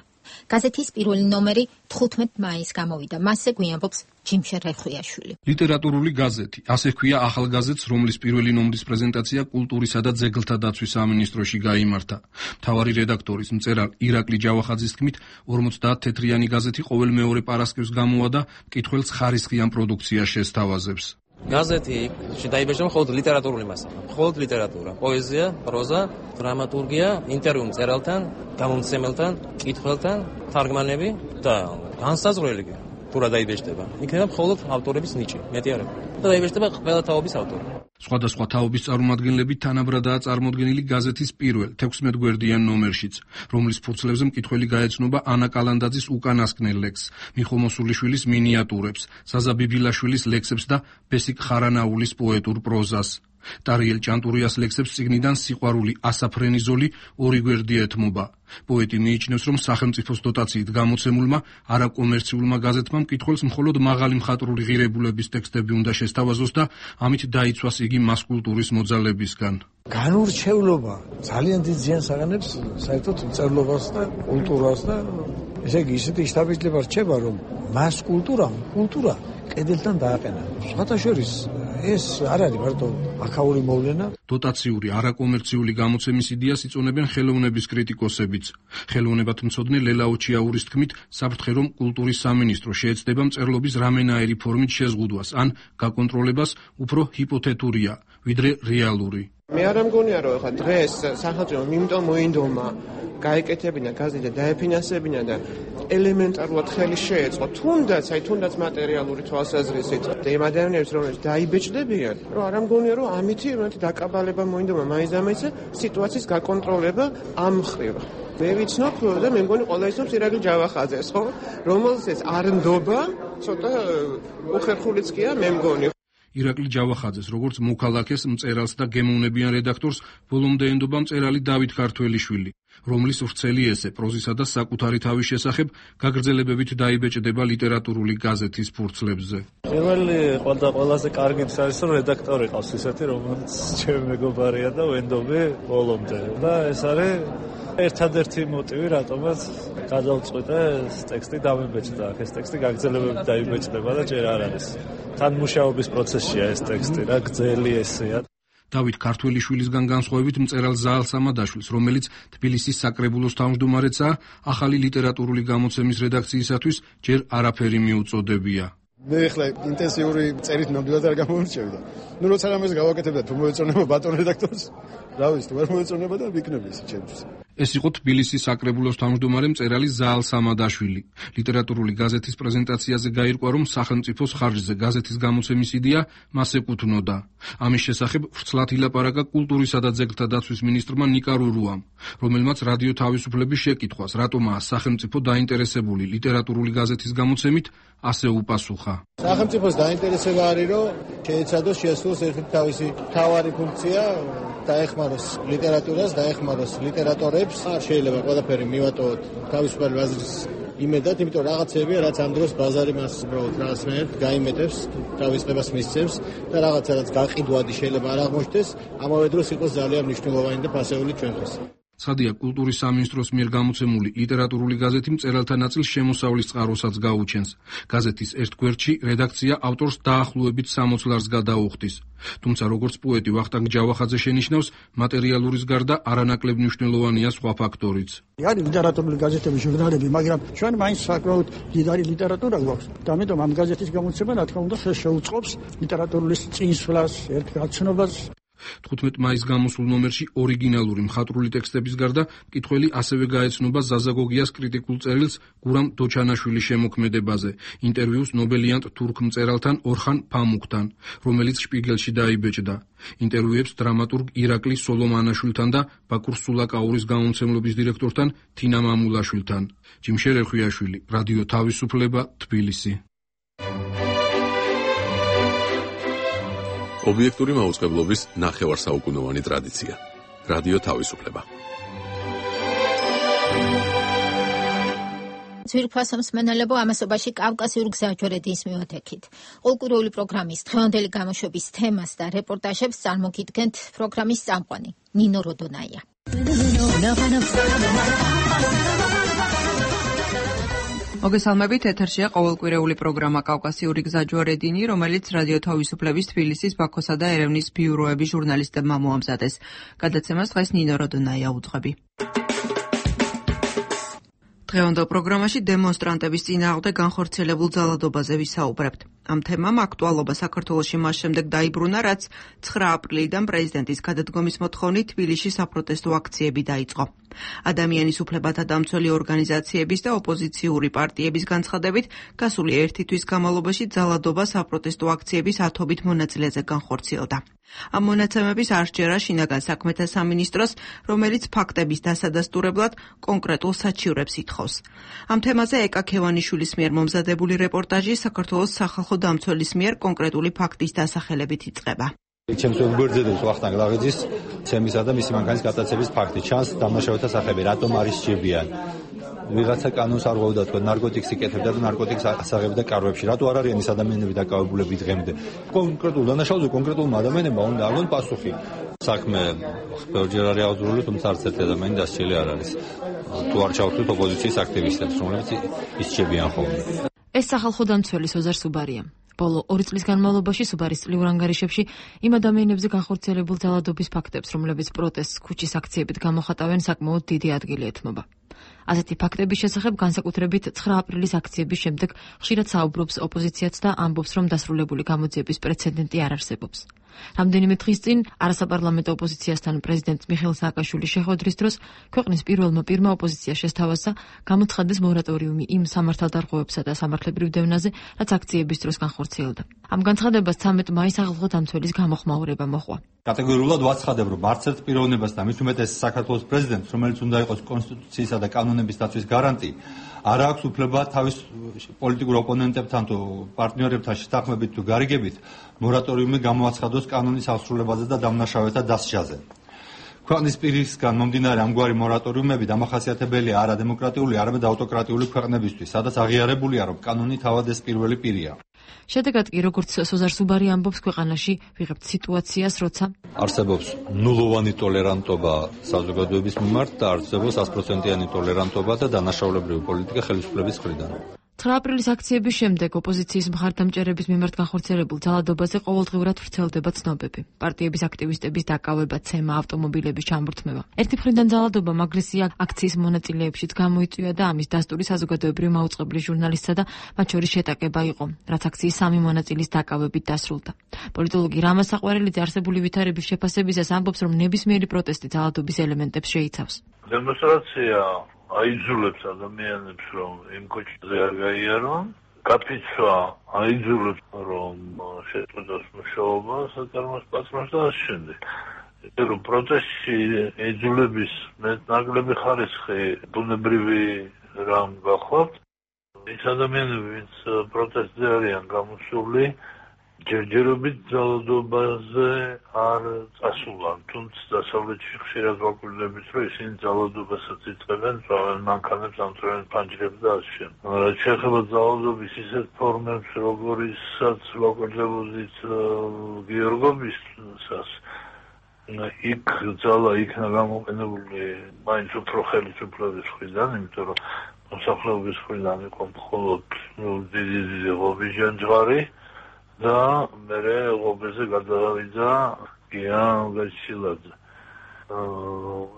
გაზეთის პირველი ნომერი 15 მაისს გამოვიდა. მასზე გვიანბობს ჯიმშე რეხვიაშვილი. ლიტერატურული გაზეთი, ასე ჰქვია ახალ გაზეთს, რომლის პირველი ნომრის პრეზენტაცია კულტურისა და ძეგლთა დაცვის სამინისტროში გაიმართა. მთავარი რედაქტორის მწერალ ირაკლი ჯავახაძის თქმით, 50 თეთრიანი გაზეთი ყოველ მეორე პარასკევს გამოვა და მკითხველს ხარისხიან პროდუქციას შესთავაზებს. გაზეთი დაიბეჭდა მხოლოდ ლიტერატურული მასალა, მხოლოდ ლიტერატურა, პოეზია, პროზა, დრამატურგია, ინტერვიუ მწერალთან, გამომცემელთან, მკითხველთან, თარგმანები და განსაზღვრელი თუ რა დაიბეჭდება. იქნება მხოლოდ ავტორების ნიჭი, მეტი არ არის. და დაიბეჭდება ყველა თაობის ავტორი. სხვადასხვა თაობის წარმომადგენლები თანაბრადაა წარმოდგენილი გაზეთის პირველ 16 გვერდიან ნომერშიც, რომლის ფურცლებზე მკითხველი გაეცნობა ანა კალანდაძის უკანასკნელ ლექსს, მიხო მოსულიშვილის მინიატურებს, საზა ბიბილაშვილის ლექსებს და ბესიკ ხარანაულის პოეტურ პროზას. ტარიელ ჭანტურიას ლექსებს წიგნიდან სიყვარული ასაფრენიზოლი ორი გვერდი ეთმობა. პოეტი მიიჩნევს, რომ სახელმწიფოს დოტაციით გამოცემულმა არაკომერციულმა გაზეთმა მკითხველს მხოლოდ მაღალი მხატვრული ღირებულების ტექსტები უნდა შესთავაზოს და ამით დაიცვას იგი მასკულტურის მოძალებისგან. განურჩევლობა ძალიან დიდ ზიანს აღანებს საერთოდ მწერლობას და კულტურას და ესე იგი ისეთი შთაბეჭდილება რჩება, რომ მასკულტურამ კულტურა კედელთან დააყენა. სხვათა შორის ეს არ არის მარტო აქაური მოვლენა. დოტაციური არაკომერციული გამოცემის იდეას იწონებენ ხელოვნების კრიტიკოსებიც. ხელოვნებათმცოდნე ლელა ოჩიაურის თქმით, საფრთხე რომ კულტურის სამინისტრო შეეცდება მწერლობის რამენაერი ფორმით შეზღუდვას ან გაკონტროლებას უფრო ჰიპოთეტურია, ვიდრე რეალური. მე არ მგონია, რომ ხა დღეს სახელმწიფომ იმიტომ მოინდომა გაეკეთებინა გაზეთი და დაეფინანსებინა და ელემენტარულად ხელი შეეწყო, თუნდაც მატერიალური თვალსაზრისით და იმ ადამიანებს, რომლებიც დაიბეჭდებიან, რომ არ მგონია, რომ ამითი დაკაბალება მოინდომა მაინც-ამაინც სიტუაციის გაკონტროლება ამ მხრივ. მე ვიცნობ და მე მგონი ყველა ისნობს ირაკლი ჯავახაძეს, ხო? რომელსაც არ ნდობა, ცოტა უხერხულიც კია, მე მგონი. ირაკლი ჯავახაძეს, როგორც მოქალაქეს, მწერალს და გემოვნებიან რედაქტორს ბოლომდე ენდობა მწერალი დავით ქართველიშვილი, რომლის ვრცელი ესე პროზისა და საკუთარი თავის შესახებ გაგრძელებებით დაიბეჭდება ლიტერატურული გაზეთის ფურცლებზე. პირველი ყველაზე კარგი არის, რომ რედაქტორი ყავს ისეთი, რომელიც ჩემი მეგობარია და ვენდობი ბოლომდე. და ეს არის ერთადერთი მოტივი, რატომაც გადავწყვიტე ეს ტექსტი დამებეჭდა. ეს ტექსტი გაგრძელებებით დაიბეჭდება და ჯერ არ არის. თან მუშაობის პროცესია ეს ტექსტი, რა გრძელი ესეა. დავით ქართველიშვილისგან განსხვავებით მწერალ ზაალ სამადაშვილს, რომელიც თბილისის საკრებულოს თავმჯდომარეცაა, ახალი ლიტერატურული გამოცემის რედაქციისათვის ჯერ არაფერი მიუწოდებია. მე ახლა ინტენსიური წერით ნამდვილად არ გამომრჩევი. ნუ როცა რამეს გავაკეთებდა, თუ მოეწონება ბატონ რედაქტორს, რა ვიცი, თუ არ მოეწონება და ვიქნები ისე ჩემთვის. ეს იყო თბილისის საკრებულოს თავმჯდომარე მწერალი ზაალ სამადაშვილი. ლიტერატურული გაზეთის პრეზენტაციაზე გაირკვა, რომ სახელმწიფოს ხარჯზე გაზეთის გამოცემის იდეა მას ეკუთვნოდა. ამის შესახებ ვრცლად ილაპარაკა კულტურისა და ძეგლთა დაცვის მინისტრმა ნიკა რურუამ, რომელმაც რადიო თავისუფლების შეკითხვას, რატომაა სახელმწიფო დაინტერესებული ლიტერატურული გაზეთის გამოცემით, ასე უპასუხა. სახელმწიფოს დაინტერესება არის, რომ შეეცადოს შეასრულოს ერთი თავისი მთავარი ფუნქცია, დაეხმაროს ლიტერატურას, დაეხმაროს ლიტერატორებს ადამიანებს არ შეიძლება ყველაფერი მივატოვოთ თავისუფალი აზრის იმედად, იმიტომ რაღაცებია, რაც ამ დროს ბაზარი მას უბრალოდ რაღაცნაირად გაიმეტებს, თავისუფლებას მისცემს და რაღაცა რაც გაყიდვადი შეიძლება არ აღმოჩნდეს, ამავე დროს იყოს ძალიან მნიშვნელოვანი და ფასეული ჩვენთვის. ცხადია, კულტურის სამინისტროს მიერ გამოცემული ლიტერატურული გაზეთი მწერალთა ნაწილს შემოსავლის წყაროსაც გაუჩენს. გაზეთის ერთ გვერდში რედაქცია ავტორს დაახლოებით 60 ლარს გადაუხდის. თუმცა როგორც პოეტი ვახტანგ ჯავახაძე შენიშნავს, მატერიალურის გარდა არანაკლებ მნიშვნელოვანია სხვა ფაქტორიც. არის ლიტერატურული გაზეთები, ჟურნალები, მაგრამ ჩვენ მაინც საკმაოდ დიდარი ლიტერატურა გვაქვს. და ამიტომ ამ გაზეთის გამოცემა, რა თქმა უნდა, შეუწყობს ლიტერატურის წინსვლას, ერთგაცნობას. 15 მაისს გამოსულ ნომერში ორიგინალური მხატვრული ტექსტების გარდა მკითხველი ასევე გაეცნობა ზაზა გოგიას კრიტიკულ წერილს გურამ დოჩანაშვილის შემოქმედებაზე, ინტერვიუს ნობელიანტ თურქ მწერალთან ორხან ფამუქთან, რომელიც შპიგელში დაიბეჭდა. ინტერვიუებს დრამატურგ ირაკლი სოლომანაშვილთან და ბაკურ სულაკაურის გამომცემლობის დირექტორთან თინა მამულაშვილთან. ჯიმშერ ერხვიაშვილი, რადიო თავისუფლება, თბილისი. ობიექტური მაუწყებლობის ნახევარსაუკუნოვანი ტრადიცია. რადიო თავისუფლება. ძვირფასო მსმენელებო, ამასობაში კავკასიური გზაჯვარედის მივათექით. ყოლკვირეული პროგრამის დღევანდელი გამოშვების თემას და რეპორტაჟებს წარმოგიდგენთ პროგრამის წამყვანი ნინო როდონაია. მოგესალმებით, ეთერშია ყოველკვირეული პროგრამა კავკასიური გზაჯვარედინი, რომელიც რადიო თავისუფლების თბილისის, ბაქოსა და ერევნის ბიუროების ჟურნალისტებმა მოამზადეს. გადაცემას დღეს ნინო როდონაია უძღვები. დღევანდელ პროგრამაში დემონსტრანტების წინააღმდეგ განხორციელებულ ძალადობაზე ვისაუბრებთ. ამ თემამ აქტუალობა საქართველოში მას შემდეგ დაიბრუნა, რაც 9 აპრილიდან პრეზიდენტის გადადგომის მოთხოვნით თბილისში საპროტესტო აქციები დაიწყო. ადამიანის უფლებათა დამცველი ორგანიზაციების და ოპოზიციური პარტიების განცხადებით, გასული 1 თვის განმავლობაში ძალადობა საპროტესტო აქციების 10-ობით მონაწილეზე განხორციელდა. ამ მონაცემების არ სჯერა შინაგან საქმეთა სამინისტროს, რომელიც ფაქტების დასადასტურებლად კონკრეტულ საჩივრებს ითხოვს. ამ თემაზე ეკა ქევანიშვილის მიერ მომზადებული რეპორტაჟი საქართველოს სახალხო დამცველის მიერ კონკრეტული ფაქტის დასახელებით იწყება. ჩემს გვერდზედებს ვახტანგ ლაღიძის ცემისა და მისი მანქანის გატაცების ფაქტი ჩანს დამნაშავეთა სახები რატომ არის სჭირდებიან ვიღაცა კანონს არ ღვევდა თქო ნარკოტიკს იკეთებდა და ნარკოტიკს ასაღებდა კარვებში რატო არ არიან ეს ადამიანები დაკავებულები დღემდე კონკრეტულ დანაშაულზე კონკრეტულმა ადამიანებმა უნდა აღონ პასუხი საქმე ბევრჯერ არის აღძრული თუმცა არც ერთი ადამიანი დასჯილი არ არის თუ არ ჩავთვლით ოპოზიციის აქტივისტებს რომლებიც ისჩებიან ხოლმე ეს სახალხო დამცველი ოზარ სუბარია ბოლო 2 წლის განმავლობაში სუბარის წლიურ ანგარიშებში იმ ადამიანებზე განხორციელებულ ძალადობის ფაქტებს, რომლებიც პროტესტს ქუჩის აქციებით გამოხატავენ, საკმაოდ დიდი ადგილი ეთმობა. ასეთი ფაქტების შესახებ განსაკუთრებით 9 აპრილის აქციების შემდეგ ხშირად საუბრობს ოპოზიციაც და ამბობს, რომ დასრულებული გამოძიების პრეცედენტი არ არსებობს. რამდენიმე დღის წინ არასაპარლამენტო ოპოზიციასთან პრეზიდენტ მიხეილ სააკაშვილის შეხვედრის დროს ქვეყნის პირველმა პირმა ოპოზიცია შესთავაზა გამოცხადდეს მორატორიუმი იმ სამართალდარღვევებსა და სამართლებრივ დევნაზე, რაც აქციების დროს განხორციელდა. ამ განცხადებას 13 მაისს ახალხო დამცველის გამოხმაურება მოჰყვა. კატეგორიულად ვაცხადებთ, რომ არც ერთ პიროვნებას და მით უმეტეს საქართველოს პრეზიდენტს, რომელიც უნდა იყოს კონსტიტუციისა და კანონების დაცვის გარანტი, არ აქვს უფლება თავის პოლიტიკურ ოპონენტებთან თუ პარტნიორებთან შეთანხმებით თუ გარიგებით მორატორიუმი გამოაცხადოს კანონის აღსრულებაზე და დამნაშავეთა დასჯაზე. ქვეყნის პირისგან მომდინარე ამგვარი მორატორიუმები დამახასიათებელია არა დემოკრატიული, არამედ ავტოკრატიული ქვეყნებისთვის, სადაც აღიარებულია, რომ კანონი თავად ეს პირველი პირია. შედეგად კი, როგორც სოზარ სუბარი ამბობს, ქვეყანაში ვიღებთ სიტუაციას, როცა არსებობს ნულოვანი ტოლერანტობა საზოგადოების მიმართ და არსებობს 100%-იანი ტოლერანტობა და დანაშაულებრივი პოლიტიკა ხელისუფლების მხრიდან. 9 აპრილის აქციების შემდეგ ოპოზიციის მხარდამჭერების მიმართ განხორციელებულ ძალადობაზე ყოველდღიურად ვრცელდება ცნობები. პარტიების აქტივისტების დაკავება, ცემა, ავტომობილების ჩამორთმევა. ერთი მხრიდან ძალადობამ აგრესია აქციის მონაწილეებშიც გამოიწვია და ამის დასტური საზოგადოებრივ მაუწყებლის ჟურნალისტსა და მათ შორის შეტაკება იყო, რაც აქციის 3 მონაწილის დაკავებით დასრულდა. პოლიტოლოგი რამა საყვარელიძე არსებული ვითარების შეფასებისას ამბობს, რომ ნებისმიერი პროტესტი ძალადობის ელემენტებს შეიცავს. დემონსტრაცია აიძულებს ადამიანებს, რომ იმ კოჭზე არ გაიარონ, გაფიცვა აიძულებს, რომ შეწყვეტოს მუშაობა, საწარმოს პატრონს და ასე შემდეგ. რომ პროტესტში ეძულების მეტნაკლები ხარისხი ბუნებრივი რამ გახლავთ. ის ადამიანები, ვინც პროტესტზე არიან გამოსული, ჯერჯერობით ძალადობაზე არ წასულან, თუმცა დასავლეთში ხშირად ვაკვირდებით, რომ ისინი ძალადობასაც იწყებენ, წავენ მანქანებს, ამწვევენ ფანჯრებს და ასე შემდეგ. რაც შეეხება ძალადობის ისეთ ფორმებს, როგორიცაც ვაკვირდებოდით გიორგობისას, იქ ძალა იქნა გამოყენებული მაინც უფრო ხელისუფლების მხრიდან, იმიტომ რომ მოსახლეობის მხრიდან იყო მხოლოდ დიდი ღობისჯანჯღარი და მერე ღობეზე გადავიდა გიან გაჩილაძე.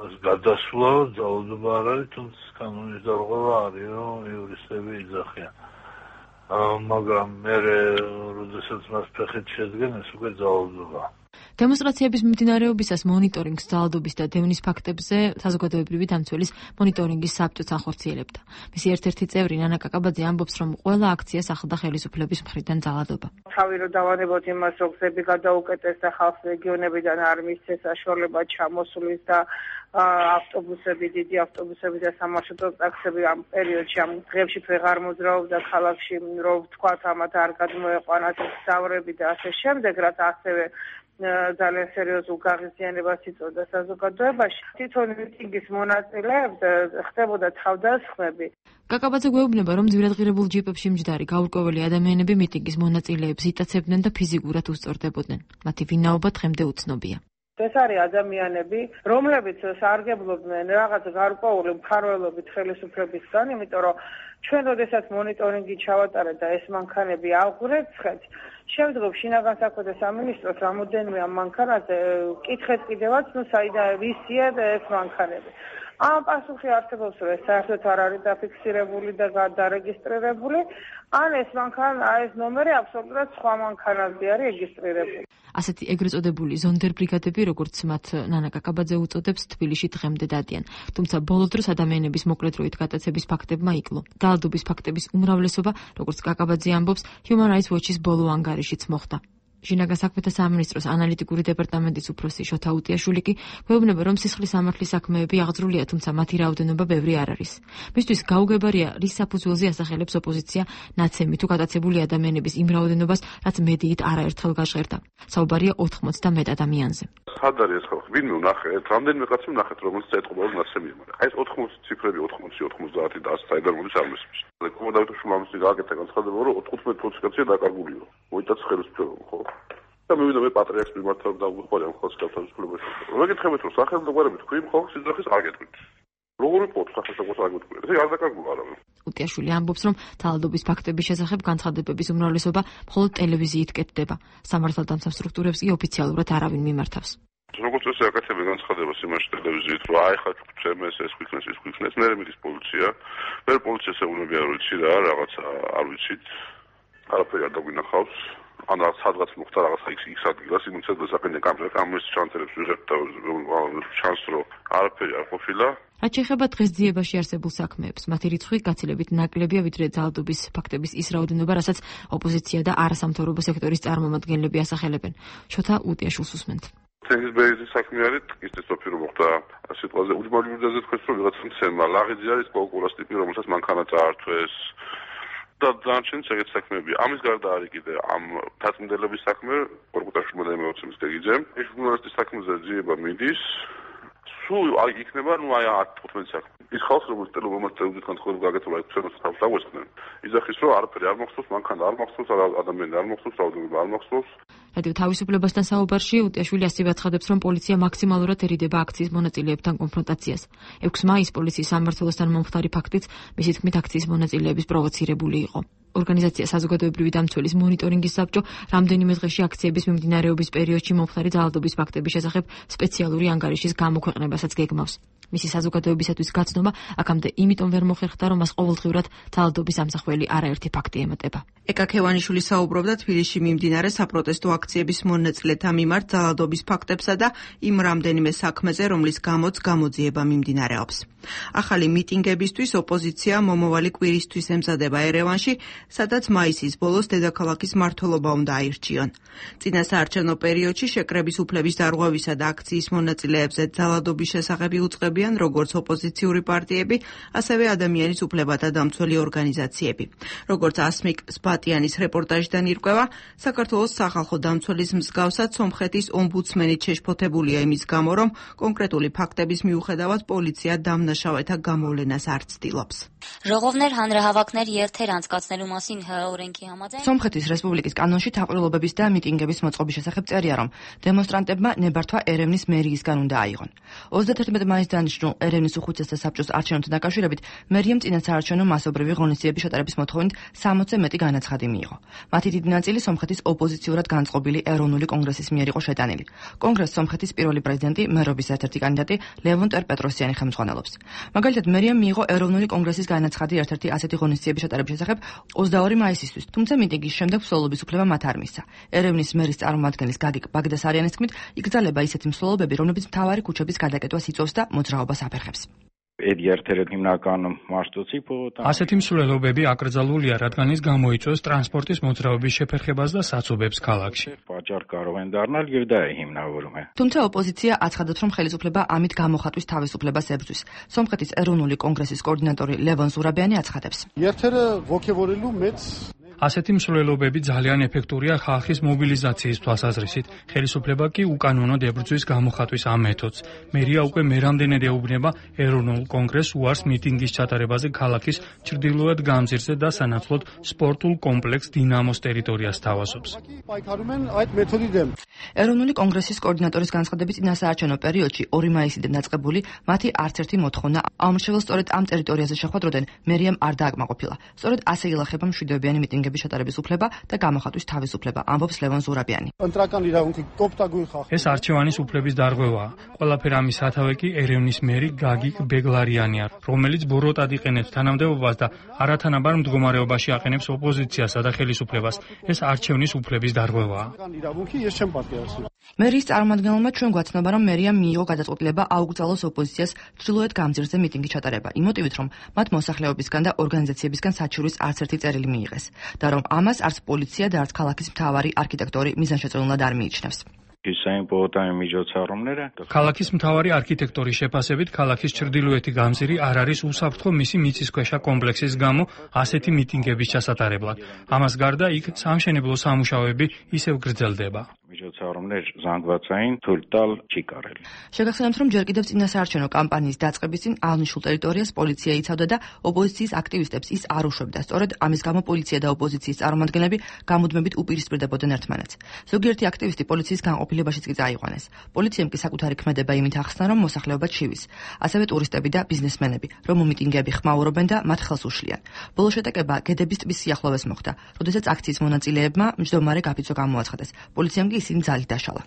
ეს გადასვლა ძალადობა არ არის, თუმცა კანონის დარღვევა არის, რომ იურისტები იძახიან. მაგრამ მერე როდესაც მას ფეხით შედგენ, ეს უკვე ძალადობაა. დემონსტრაციების მიმდინარეობისას მონიტორინგს ძალადობის და დევნის ფაქტებზე საზოგადოებრივი დამცველის მონიტორინგის საბჭოც ახორციელებდა. მისი ერთ-ერთი წევრი ნანა კაკაბაძე ამბობს, რომ ყველა აქციას ახლდა ხელისუფლების მხრიდან ძალადობა. თავი რომ დავანებოთ იმას, რომ გზები გადაუკეტეს და ხალხს რეგიონებიდან არ მისცეს საშუალება ჩამოსulis და ავტობუსები, დიდი ავტობუსები და სამარშრუტო ტაქსები ამ პერიოდში, ამ დღეებში ვეღარ მოძრაობდა ქალაქში, რომ ვთქვათ, ამათ არ გადმოეყვანათ გზავრები და ასე შემდეგ, რაც ასევე ძალიან სერიოზულ გაღიზიანებას იწვევდა საზოგადოებაში. თვითონ მიტინგის მონაწილეებს ხდებოდა თავდასხმები. კაკაბაძე გვეუბნება, რომ ძვირადღირებულ ჯიპებში მჯდარი გაურკვეველი ადამიანები მიტინგის მონაწილეებს იტაცებდნენ და ფიზიკურად უსწორდებოდნენ. მათი ვინაობა დღემდე უცნობია. ეს არის ადამიანები, რომლებიც სარგებლობდნენ რაღაც გარკვეული მფარველობით ხელისუფლებისგან, იმიტომ რომ ჩვენ როდესაც მონიტორინგი ჩავატარეთ და ეს მანქანები აღვრეცხეთ, შემდგომ შინაგან საქმეთა სამინისტროს რამოდენიმე ამ მანქანაზე კითხეთ კიდევაც, საიდან ვისია ეს მანქანები. ამ პასუხი არსებობს, რომ ეს საერთოდ არ არის დაფიქსირებული და დარეგისტრირებული, ან ეს ნომერი აბსოლუტურად სხვა მანქანაზე არის რეგისტრირებული. ასეთი ეგრეთ წოდებული ზონდერ ბრიგადები, როგორც მათ ნანა კაკაბაძე უწოდებს, თბილისში დღემდე დადიან. თუმცა ბოლო დროს ადამიანების მოკლედროით გადაცების ფაქტებმა იკლო. ძალადობის ფაქტების უმრავლესობა, როგორც კაკაბაძე ამბობს, Human Rights Watch-ის ბოლო ანგარიშიც მოხდა. შინაგან საქმეთა სამინისტროს ანალიტიკური დეპარტამენტის უფროსი შოთა უტიაშვილი კი გვეუბნება, რომ სისხლის სამართლის საქმეები აღძრულია, თუმცა მათი რაოდენობა ბევრი არ არის. მისთვის გაუგებარია, რის საფუძველზე ასახელებს ოპოზიცია ნაცემი თუ გადაცებული ადამიანების იმ რაოდენობას, რაც მედიით არაერთხელ გაჟღერდა. საუბარია 80 და მეტ ადამიანზე. სად არის ეს ხალხი? ვინმე ვნახეთ, რამდენიმე კაცი ვნახეთ, რომელიც ეთყობა რომ ნაცემია, მაგრამ აი ეს 80 ციფრები 80, 90 და 100 საიდან მოდის არ მესმის. კომოდავიტოშულ ამის გაკეთდა განცხადება, რომ 15 კაცია დაკარგულიო. მოიტაც ხელისუფლება, ხო? და მივიდა მე პატრიარქს მიმართავ და უყურე ამ ხალხს თავისუფლებას. მოგეკითხებით, რომ სახელმწიფოები თქვენ ხალხს იძახის არ გეტყვით. როგორ იყო სახელმწიფოს არ გეტყვით? ეს არ დაკარგულა არა. უტიაშვილი ამბობს, რომ ძალადობის ფაქტების შესახებ განცხადებების უმრავლესობა მხოლოდ ტელევიზიით კეთდება. სამართალდამცავ სტრუქტურებს კი ოფიციალურად არავინ მიმართავს. როგორც ეს აკეთებენ განცხადებას იმაში ტელევიზიით, რომ აი ხა ჩემს ეს ქვიქნეს, მე მიდის პოლიცია. მე პოლიციას ეუბნები არ ვიცი რა, რაღაცა არ ვიცით. არაფერი არ დაგვინახავს. ან სადღაც მოხდა რაღაცა იქ ადგილას, იმეცად დასაყენე კამერა, ამის ჩანწერებს ვიღებთ და ჩანს რომ არაფერი არ ყოფილა. რაც შეეხება დღესდღეობაში არსებულ საქმეებს, მათი რიცხვი გაცილებით ნაკლებია, ვიდრე ძალადობის ფაქტების ის რაოდენობა, რასაც ოპოზიცია და არასამთავრობო სექტორის წარმომადგენლები ასახელებენ. შოთა უტიაშვილს უსმენთ. თენგიზბერგის საქმე არის, ის სოფი რომ მოხდა სიტყვაზე უჯმალურდაზე თქვენ რომ ვიღაცა მცემა, ლაღიძე არის კოლკურას ტიპი, რომელსაც მანქანა წაართვეს. და დანარჩენი ეგეთ საქმეები. ამის გარდა არის კიდე ამ დაწმენდელების საქმე, კორკუტაშვილმა და მეოცემის გეგიძე. ეს ჟურნალისტის საქმეზე ძიება მიდის. სულ აი იქნება, აი 10-15 საქმე. ის ხალხი, რომელიც ტელეომას წევრიდან ხოლმე გაკეთება, ეს ჩვენს თავს დაგვესწრენ. იძახის, რომ არაფერი არ მახსოვს, მანქანა არ მახსოვს, ადამიანი არ მახსოვს, რაოდენობა არ მახსოვს. რადიო თავისუფლებასთან საუბარში უტიაშვილი ასევე აცხადებს, რომ პოლიცია მაქსიმალურად ერიდება აქციის მონაწილეებთან კონფრონტაციას. 6 მაისს პოლიციის სამმართველოსთან მომხდარი ფაქტიც მისი თქმით აქციის მონაწილეების პროვოცირებული იყო. ორგანიზაცია საზოგადოებრივი დამცველის მონიტორინგის საბჭო რამდენიმე დღეში აქციების მიმდინარეობის პერიოდში მომხდარი ძალადობის ფაქტების შესახებ სპეციალური ანგარიშის გამოქვეყნებასაც გეგმავს. მისი საზოგადოებისათვის გაცნობა აქამდე იმიტომ ვერ მოხერხდა, რომ მას ყოველდღიურად ძალადობის ამსახველი არაერთი ფაქტი ემატება. ეკა ქევანიშვილი საუბრობდა თბილისში მიმდინარე საპროტესტო აქციების მონაწილეთა მიმართ ძალადობის ფაქტებსა და იმ რამდენიმე საქმეზე, რომლის გამოც გამოძიება მიმდინარეობს. ახალი მიტინგებისთვის ოპოზიცია მომავალი კვირისთვის ემზადება ერევანში, სადაც მაისის ბოლოს დედაქალაქის მმართველობა უნდა აირჩიონ. წინა საარჩევნო პერიოდში შეკრების უფლების დარღვევისა და აქციის მონაწილეებზე ძალადობის შესახებ უწყების ემსახურებიან როგორც ოპოზიციური პარტიები, ასევე ადამიანის უფლებათა დამცველი ორგანიზაციები. როგორც ასმიკ სპატიანის რეპორტაჟიდან ირკვევა, საქართველოს სახალხო დამცველის მსგავსად სომხეთის ომბუდსმენიც შეშფოთებულია იმის გამო, რომ კონკრეტული ფაქტების მიუხედავად პოლიცია დამნაშავეთა გამოვლენას არ ცდილობს. Ժողովներ, հանրահավաքներ, երթեր անցկացնելու մասին օրենքի համաձայն Սոմխეთის ռեսպուբլიკის կանոնში թափառողობების და միտինգების მოწყობის შესახებ წერია, რომ დემონსტრანტებმა ნებართვა ერევნის მერიისგან უნდა აიღონ. 31 მაისს დანიშნულ ერევნის უხუცესთა საბჭოს არჩევნებთან დაკავშირებით მერიამ წინასაარჩევნო მასობრივი ღონისძიების შეტარების მოთხოვნით 60-ზე მეტი განაცხადი მიიღო. მათი დიდი ნაწილი სომხეთის ოპოზიციურად განწყობილი ეროვნული კონგრესის მიერ იყო შეტანილი. კონგრესს სომხეთის პირველი პრეზიდენტი, მერობის ერთ-ერთი კანდიდატი ლევონ ტერპეტროსიანი ხელმძღვანელობს. მაგალითად, მერიამ მიიღო ეროვნული კონგრესის განაცხადი ერთ-ერთი ასეთი ღონისძიების შეტარების შესახებ 22 მაისისთვის, თუმცა მიტინგის შემდეგ მსვლელობის უფლება მათ არ მისცა. ერევნის მერის წარმომადგენლის გაგიკ ბაგდასარიანის თქმით, იკრძალება ისეთი მსვლელობები, რომლებიც მთავარი ქუჩების გადაკეტვას იწვევს და მოძრაობას აფერხებს. ასეთი მსვლელობები აკრძალულია, რადგან ის გამოიწვევს ტრანსპორტის მოძრაობის შეფერხებას და საცობებს ქალაქში. თუმცა ოპოზიცია აცხადებს, რომ ხელისუფლება ამით გამოხატვის თავისუფლებას ებრძვის. სომხეთის ეროვნული კონგრესის კოორდინატორი ლევონ ზურაბიანი აცხადებს. ასეთი მსვლელობები ძალიან ეფექტურია ხალხის მობილიზაციის თვალსაზრისით. ხელისუფლება კი უკანონოდ ებრძვის გამოხატვის ამ მეთოდს. მერია უკვე მერამდენედ ეუბნება ეროვნულ კონგრესს უარს მიტინგის ჩატარებაზე ქალაქის ჩრდილოეთ გამზირზე და სანაცვლოდ სპორტულ კომპლექს დინამოს ტერიტორიას თავაზობს. ეროვნული კონგრესის კოორდინატორის განცხადებით, წინასაარჩევნო პერიოდში 2 მაისიდან დაწყებული მათი არც ერთი მოთხოვნა აუმრჩეველს სწორედ ამ ტერიტორიაზე შეხვედროდან მერიამ არ დააკმაყოფილა. სწორედ ასე ილახება მშვიდობიანი მიტინგების შეტარების უფლება და გამოხატვის თავისუფლება, ამბობს ლევონ ზურაბიანი. ეს არჩევანის უფლების დარღვევაა. ყველაფერ ამის სათავე კი ერევნის მერი გაგიკ ბეგლარიანია, რომელიც ბოროტად იყენებს თანამდებობას და არათანაბარ მდგომარეობაში აყენებს ოპოზიციასა და ხელისუფლებას. ეს არჩევნის უფლების დარღვევაა. მერის წარმომადგენელმა ჩვენ გვაცნობა, რომ მერიამ მიიღო გადაწყვეტილება აუკრძალოს ოპოზიციას ჩრდილოეთ გამზირზე მიტინგი ჩატარება, იმ მოტივით, რომ მათ მოსახლეობისგან და ორგანიზაციებისგან საჩივრის არც ერთი წერილი მიიღეს და რომ ამას არც პოლიცია და არც ქალაქის მთავარი არქიტექტორი მიზანშეწონილად არ მიიჩნევს. ქალაქის მთავარი არქიტექტორის შეფასებით, ქალაქის ჩრდილოეთი გამზირი არ არის უსაფრთხო მისი მიწისქვეშა კომპლექსის გამო ასეთი მიტინგების ჩასატარებლად. ამას გარდა იქ სამშენებლო სამუშაოები ისევ გრძელდება. შეგახსენებთ, რომ ჯერ კიდევ წინასაარჩევნო კამპანიის დაწყების წინ აღნიშნულ ტერიტორიას პოლიცია იცავდა და ოპოზიციის აქტივისტებს ის არ უშვებდა. სწორედ ამის გამო პოლიცია და ოპოზიციის წარმომადგენლები გამუდმებით უპირისპირდებოდნენ ერთმანეთს. ზოგიერთი აქტივისტი პოლიციის განყოფილებაშიც კი წაიყვანეს. პოლიციამ კი საკუთარი ქმედება იმით ახსნა, რომ მოსახლეობა ჩივის. ასევე ტურისტები და ბიზნესმენები, რომ მიტინგები ხმაურობენ და მათ ხელს უშლიან. ბოლო შეტაკება გედების ტბის სიახლოვეს მოხდა, როდესაც აქციის მონაწილეებმა მჯდომარე გაფიცო გამოაცხადეს. პოლიციამ კი ისინი ძალით დაშალა.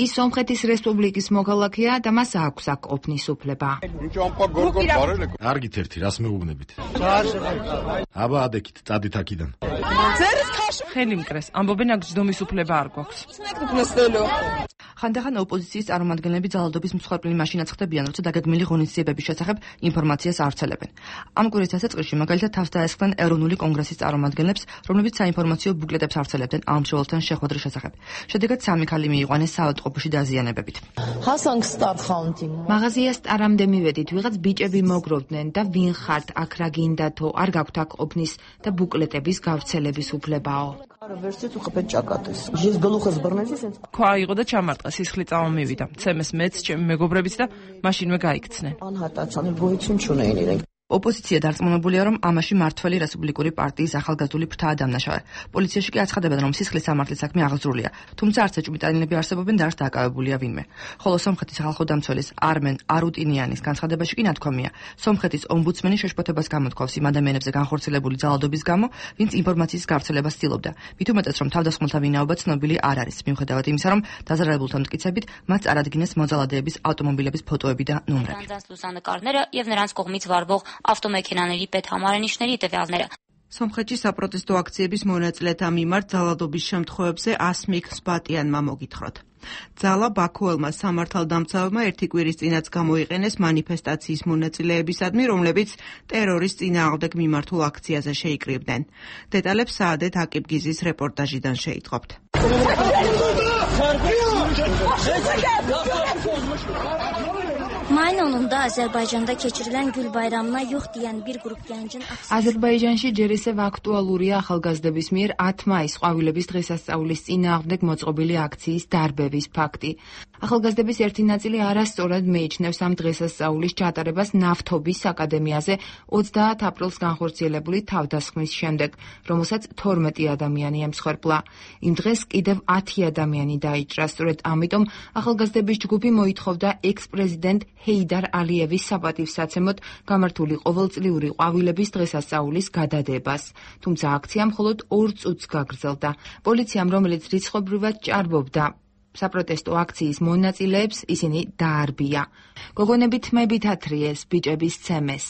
ის სომხეთის რესპუბლიკის მოქალაქეა და მას აქვს აქ ყოფნის უფლება. არგით ერთი, რას მეუბნებით? აბა ადექით, წადით აქედან. ხელი მკრეს, ამბობენ აქ ჯდომის უფლება არ გვაქვს. ხანდახან ოპოზიციის წარმომადგენლები ძალადობის მსხვერპლი მაშინაც ხდებიან, როცა დაგეგმილი ღონისძიებების შესახებ ინფორმაციას არცელებენ. ამ კვირის დასაწყისში მაგალითად თავს დაესხნენ ეროვნული კონგრესის წარმომადგენლებს, რომლებიც საინფორმაციო ბუკლეტებს არცელებდნენ ამშროლთან შეხვედრის შესახებ. შედეგად 3 ქალი მიიყვანეს საავადმყოფოში დაზიანებებით. მაღაზია სტარამდე მივედით, ვიღაც ბიჭები მოგროვდნენ და ვინ ხართ, აქ რა გინდათო, არ გაქვთ აქ ყოფნის და ბუკლეტების გავრცელების უფლებაო. ქვა იყო და ჩამარტყა, სისხლი წამომივიდა. ცემეს მეც, ჩემი მეგობრებიც და მაშინვე გაიქცნენ. ოპოზიცია დარწმუნებულია, რომ ამაში მართველი რესპუბლიკური პარტიის ახალგაზრდული ფრთაა დამნაშავე. პოლიციაში კი აცხადებენ, რომ სისხლის სამართლის საქმე აღძრულია, თუმცა არც ეჭვმიტანილები არსებობენ და არც დაკავებულია ვინმე. ხოლო სომხეთის სახალხო დამცველის არმენ არუტინიანის განცხადებაში კი ნათქვამია, სომხეთის ომბუდსმენი შეშფოთებას გამოთქვავს იმ ადამიანებზე განხორციელებული ძალადობის გამო, ვინც ინფორმაციის გავრცელებას ცდილობდა. მით უმეტეს, რომ თავდასხმულთა ვინაობა ცნობილი არ არის, მიუხედავად იმისა, რომ დაზარალებულთა მტკიცებით მათ წარადგინეს მოძალადეების ავტომობილების ფოტოები და ნომრები. ავტომექანაների პედჰამარენიშների ტევალները. სომხეთში საპროტესტო აქციების მონაწილეთა მიმართ ძალადობის შემთხვევებზე ასმიკ სპატიანმა მოგითხროთ. ძალა ბაქოელმა სამართალდამცავებმა ერთი კვირის წინაც გამოიყენეს მანიფესტაციის მონაწილეებისადმი, რომლებიც ტერორის წინააღმდეგ მიმართულ აქციაზე შეიკრიბნენ. დეტალებს საადეთ აკიბგიზის რეპორტაჟიდან შეიტყობთ. sonunda Azərbaycanda keçirilən Gül bayramına yox deyən bir qrup gəncin აზერბაიჯანში ჯერ ისევ აქტუალურია ახალგაზრდების მიერ 10 მაისს ყვავილების დღესასწაულის წინააღმდეგ მოწყობილი აქციის დარბევის ფაქტი. ახალგაზრდების ერთი ნაწილი არასწორად მიიჩნევს ამ დღესასწაულის ჩატარებას ნავთობის აკადემიაზე 30 აპრილს განხორციელებული თავდასხმის შემდეგ, რომელსაც 12 ადამიანი ემსხვერპლა. იმ დღეს კიდევ 10 ადამიანი დაიჭრა, სწორედ ამიტომ ახალგაზრდების ჯგუფი მოითხოვდა ექს-პრეზიდენტ ჰეიდარ ალიევის საპატივსაცემოდ გამართული ყოველწლიური ყვავილების დღესასწაულის გადადებას. თუმცა აქცია მხოლოდ 2 წუთს გაგრძელდა. პოლიციამ, რომელიც რიცხობრივად ჭარბობდა საპროტესტო აქციის მონაწილეებს, ისინი დაარბია. გოგონები თმებით ათრიეს ბიჭების ცემეს.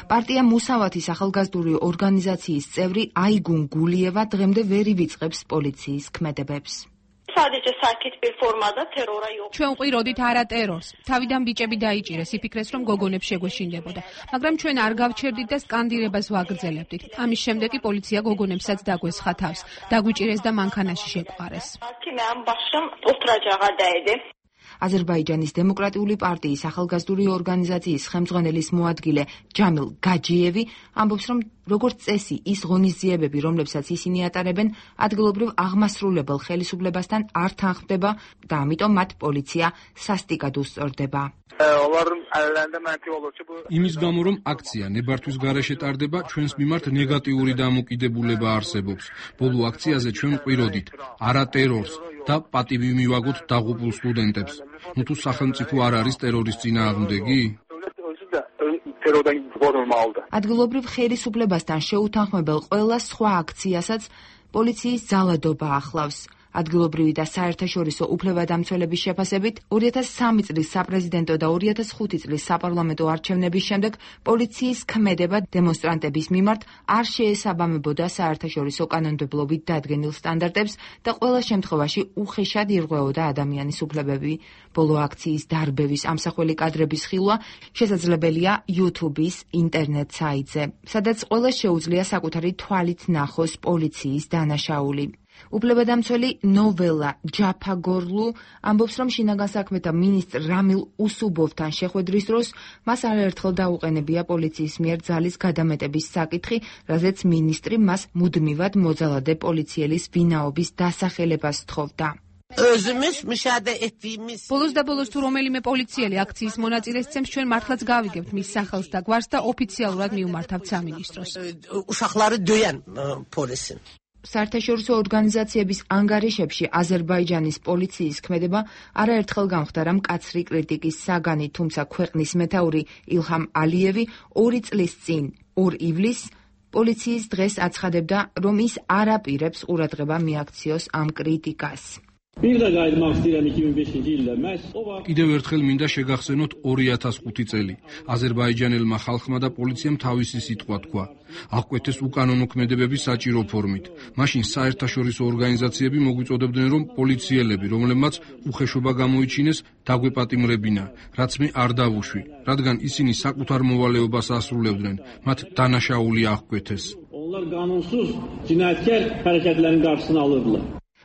პარტია მუსავათის ახალგაზრდული ორგანიზაციის წევრი აიგუნ გულიევა დღემდე ვერ ივიწყებს პოლიციის ქმედებებს. ჩვენ ყიროდით არა ტერორს. თავიდან ბიჭები დაიჭირეს, იფიქრეს, რომ გოგონებს შეგვეშინდებოდა. მაგრამ ჩვენ არ გავჩერდით და სკანდირებას ვაგრძელებდით. ამის შემდეგ კი პოლიცია გოგონებსაც დაგვესხა თავს, დაგვიჭირეს და მანქანაში შეყვარეს. აზერბაიჯანის დემოკრატიული პარტიის ახალგაზრდული ორგანიზაციის ხელმძღვანელის მოადგილე ჯამილ გაჯიევი ამბობს, რომ როგორც წესი, ის ღონისძიებები, რომლებსაც ისინი ატარებენ, ადგილობრივ აღმასრულებელ ხელისუფლებასთან არ თანხმდება და ამიტომ მათ პოლიცია სასტიკად უსწორდება. იმის გამო, რომ აქცია ნებართვის გარეშე ტარდება, ჩვენს მიმართ ნეგატიური დამოკიდებულება არსებობს. ბოლო აქციაზე ჩვენ ყიროდით არა ტერორს და პატივი მივაგოთ დაღუპულ სტუდენტებს. თუ სახელმწიფო არ არის ტერორის წინააღმდეგი? ადგილობრივ ხელისუფლებასთან შეუთანხმებელ ყველა სხვა აქციასაც პოლიციის ძალადობა ახლავს. ადგილობრივი და საერთაშორისო უფლებადამცველების შეფასებით 2003 წლის საპრეზიდენტო და 2005 წლის საპარლამენტო არჩევნების შემდეგ პოლიციის ქმედება დემონსტრანტების მიმართ არ შეესაბამებოდა საერთაშორისო კანონმდებლობით დადგენილ სტანდარტებს და ყველა შემთხვევაში უხეშად ირღვეოდა ადამიანის უფლებები. ბოლო აქციის დარბევის ამსახველი კადრების ხილვა შესაძლებელია YouTube-ის ინტერნეტ საიტზე, სადაც ყველას შეუძლია საკუთარი თვალით ნახოს პოლიციის დანაშაული. უფლებადამცველი ნოველა ჯაფაგორლუ ამბობს, რომ შინაგან საქმეთა მინისტრ რამილ უსუბოვთან შეხვედრის დროს მას არაერთხელ დაუყენებია პოლიციის მიერ ძალის გადამეტების საკითხი, რაზეც მინისტრი მას მუდმივად მოძალადე პოლიციელის ვინაობის დასახელებას სთხოვდა. ბოლოს და ბოლოს თუ რომელიმე პოლიციელი აქციის მონაწილეს ცემს, ჩვენ მართლაც გავიგებთ მის სახელს და გვარს და ოფიციალურად მივმართავთ სამინისტროს. საერთაშორისო ორგანიზაციების ანგარიშებში აზერბაიჯანის პოლიციის ქმედება არაერთხელ გამხდარა მკაცრი კრიტიკის საგანი, თუმცა ქვეყნის მეთაური ილჰამ ალიევი 2 წლის წინ, 2 ივლისს, პოლიციის დღეს აცხადებდა, რომ ის არ აპირებს ყურადღება მიაქციოს ამ კრიტიკას. კიდევ ერთხელ მინდა შეგახსენოთ 2005 წელი. აზერბაიჯანელმა ხალხმა და პოლიციამ თავისი სიტყვა თქვა. აღკვეთეს უკანონო ქმედებები საჭირო ფორმით. მაშინ საერთაშორისო ორგანიზაციები მოგვიწოდებდნენ, რომ პოლიციელები, რომლებმაც უხეშობა გამოიჩინეს, დაგვეპატიმრებინა, რაც მე არ დავუშვი, რადგან ისინი საკუთარ მოვალეობას ასრულებდნენ, მათ დანაშაული აღკვეთეს.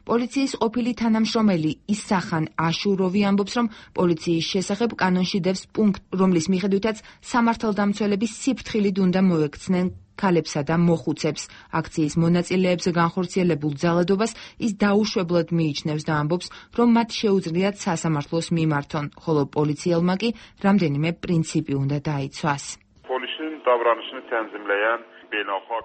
პოლიციის ყოფილი თანამშრომელი ისახან აშუროვი ამბობს, რომ პოლიციის შესახებ კანონში დევს პუნქტ, რომლის მიხედვითაც სამართალდამცველები სიფრთხილით უნდა მოექცნენ ქალებსა და მოხუცებს. აქციის მონაწილეებზე განხორციელებულ ძალადობას ის დაუშვებლად მიიჩნევს და ამბობს, რომ მათ შეუძლიათ სასამართლოს მიმართონ, ხოლო პოლიციელმა კი რამდენიმე პრინციპი უნდა დაიცვას.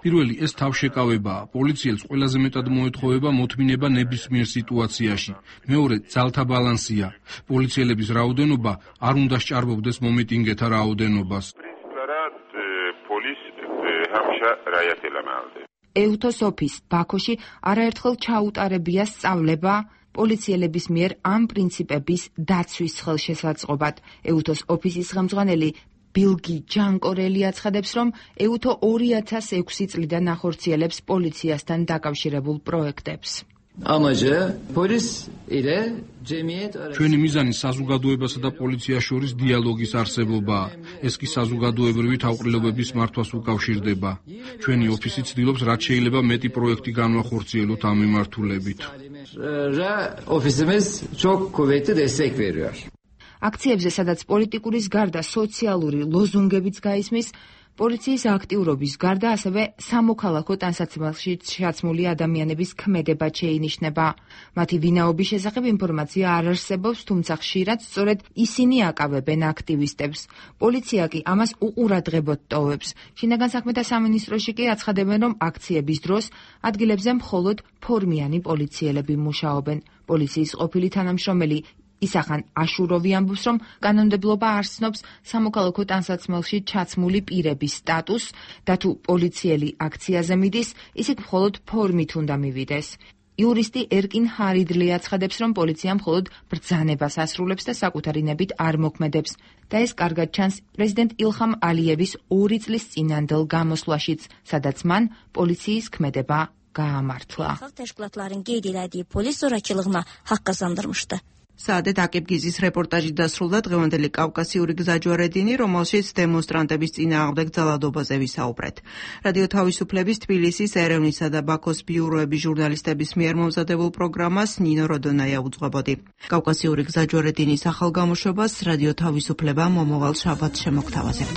პირველი ეს თავშეკავებაა. პოლიციელს ყველაზე მეტად მოეთხოვება მოთმინება ნებისმიერ სიტუაციაში. მეორე ძალთა ბალანსია. პოლიციელების რაოდენობა არ უნდა სჭარბობდეს მომიტინგეთა რაოდენობას. ეუთოს ოფის ბაქოში არაერთხელ ჩაუტარებია სწავლება პოლიციელების მიერ ამ პრინციპების დაცვის ხელშესაწყობად. ეუთოს ოფისის ხელმძღვანელი ბილგი ჯანკორელი აცხადებს, რომ ეუთო 2006 წლიდან ახორციელებს პოლიციასთან დაკავშირებულ პროექტებს. Amacı polis ile cemiyet ჩვენი მიზანი საზოგადოებასა და პოლიციას შორის დიალოგის არსებობაა. ეს კი საზოგადოებრივი თავყრილობების მართვას უკავშირდება. ჩვენი ოფისი ცდილობს რაც შეიძლება მეტი პროექტი განვახორციელოთ ამ მიმართულებით. Ofisimiz çok kuvvetli destek veriyor. აქციებზე, სადაც პოლიტიკურის გარდა სოციალური ლოზუნგებიც გაისმის, პოლიციის აქტიურობის გარდა ასევე სამოქალაქო ტანსაცმელში ჩაცმული ადამიანების ქმედება შეინიშნება. მათი ვინაობის შესახებ ინფორმაცია არ არსებობს, თუმცა ხშირად სწორედ ისინი აკავებენ აქტივისტებს. პოლიცია კი ამას უყურადღებოდ ტოვებს. შინაგან საქმეთა სამინისტროში კი აცხადებენ, რომ აქციების დროს ადგილებზე მხოლოდ ფორმიანი პოლიციელები მუშაობენ. პოლიციის ყოფილი თანამშრომელი ისახან აშუროვი ამბობს, რომ კანონმდებლობა არ ცნობს სამოქალაქო ტანსაცმელში ჩაცმული პირების სტატუსს და თუ პოლიციელი აქციაზე მიდის, ისიც მხოლოდ ფორმით უნდა მივიდეს. იურისტი ერკინ ჰარიდლი აცხადებს, რომ პოლიცია მხოლოდ ბრძანებას ასრულებს და საკუთარი ნებით არ მოქმედებს და ეს კარგად ჩანს პრეზიდენტ ილჰამ ალიევის 2 წლის წინანდელ გამოსვლაშიც, სადაც მან პოლიციის ქმედება გაამართლა. Təşkilatların qeyd etdiyi polis zorakılığına haqq qazandırmışdı. საადეთ აკებგიზის რეპორტაჟი დასრულდა დღევანდელი კავკასიური გზაჯვარედინი, რომელშიც დემონსტრანტების წინააღმდეგ ძალადობაზე ვისაუბრეთ. რადიო თავისუფლების თბილისის, ერევნისა და ბაქოს ბიუროების ჟურნალისტების მიერ მომზადებულ პროგრამას ნინო როდონაია უძღვებოდი. კავკასიური გზაჯვარედინის ახალ გამოშვებას რადიო თავისუფლება მომავალ შაბათს შემოგთავაზებთ.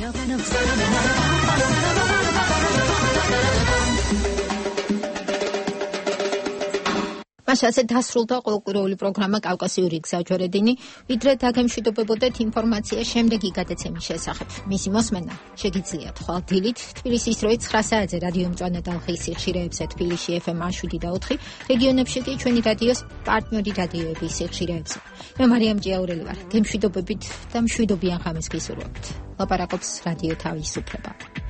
მასაზე დასრულდა ყოველკვირეული პროგრამა კავკასიური გზაჯვარედინი, ვიდრე დაგემშვიდობებოდეთ ინფორმაცია შემდეგი გადაცემის შესახებ. მისი მოსმენა შეგიძლიათ ხვალ დილით თბილისის დროით 9 საათზე რადიო მწვანე ტალღის სიხშირეებზე თბილისში FM 7 და 4, რეგიონებში კი ჩვენი რადიოს პარტნიორი რადიოების სიხშირეებზე. მე მარიამ ჭიაურელი ვარ. გემშვიდობებით და მშვიდობიან ღამეს გისურვებთ. ლაპარაკობს რადიო თავისუფლება.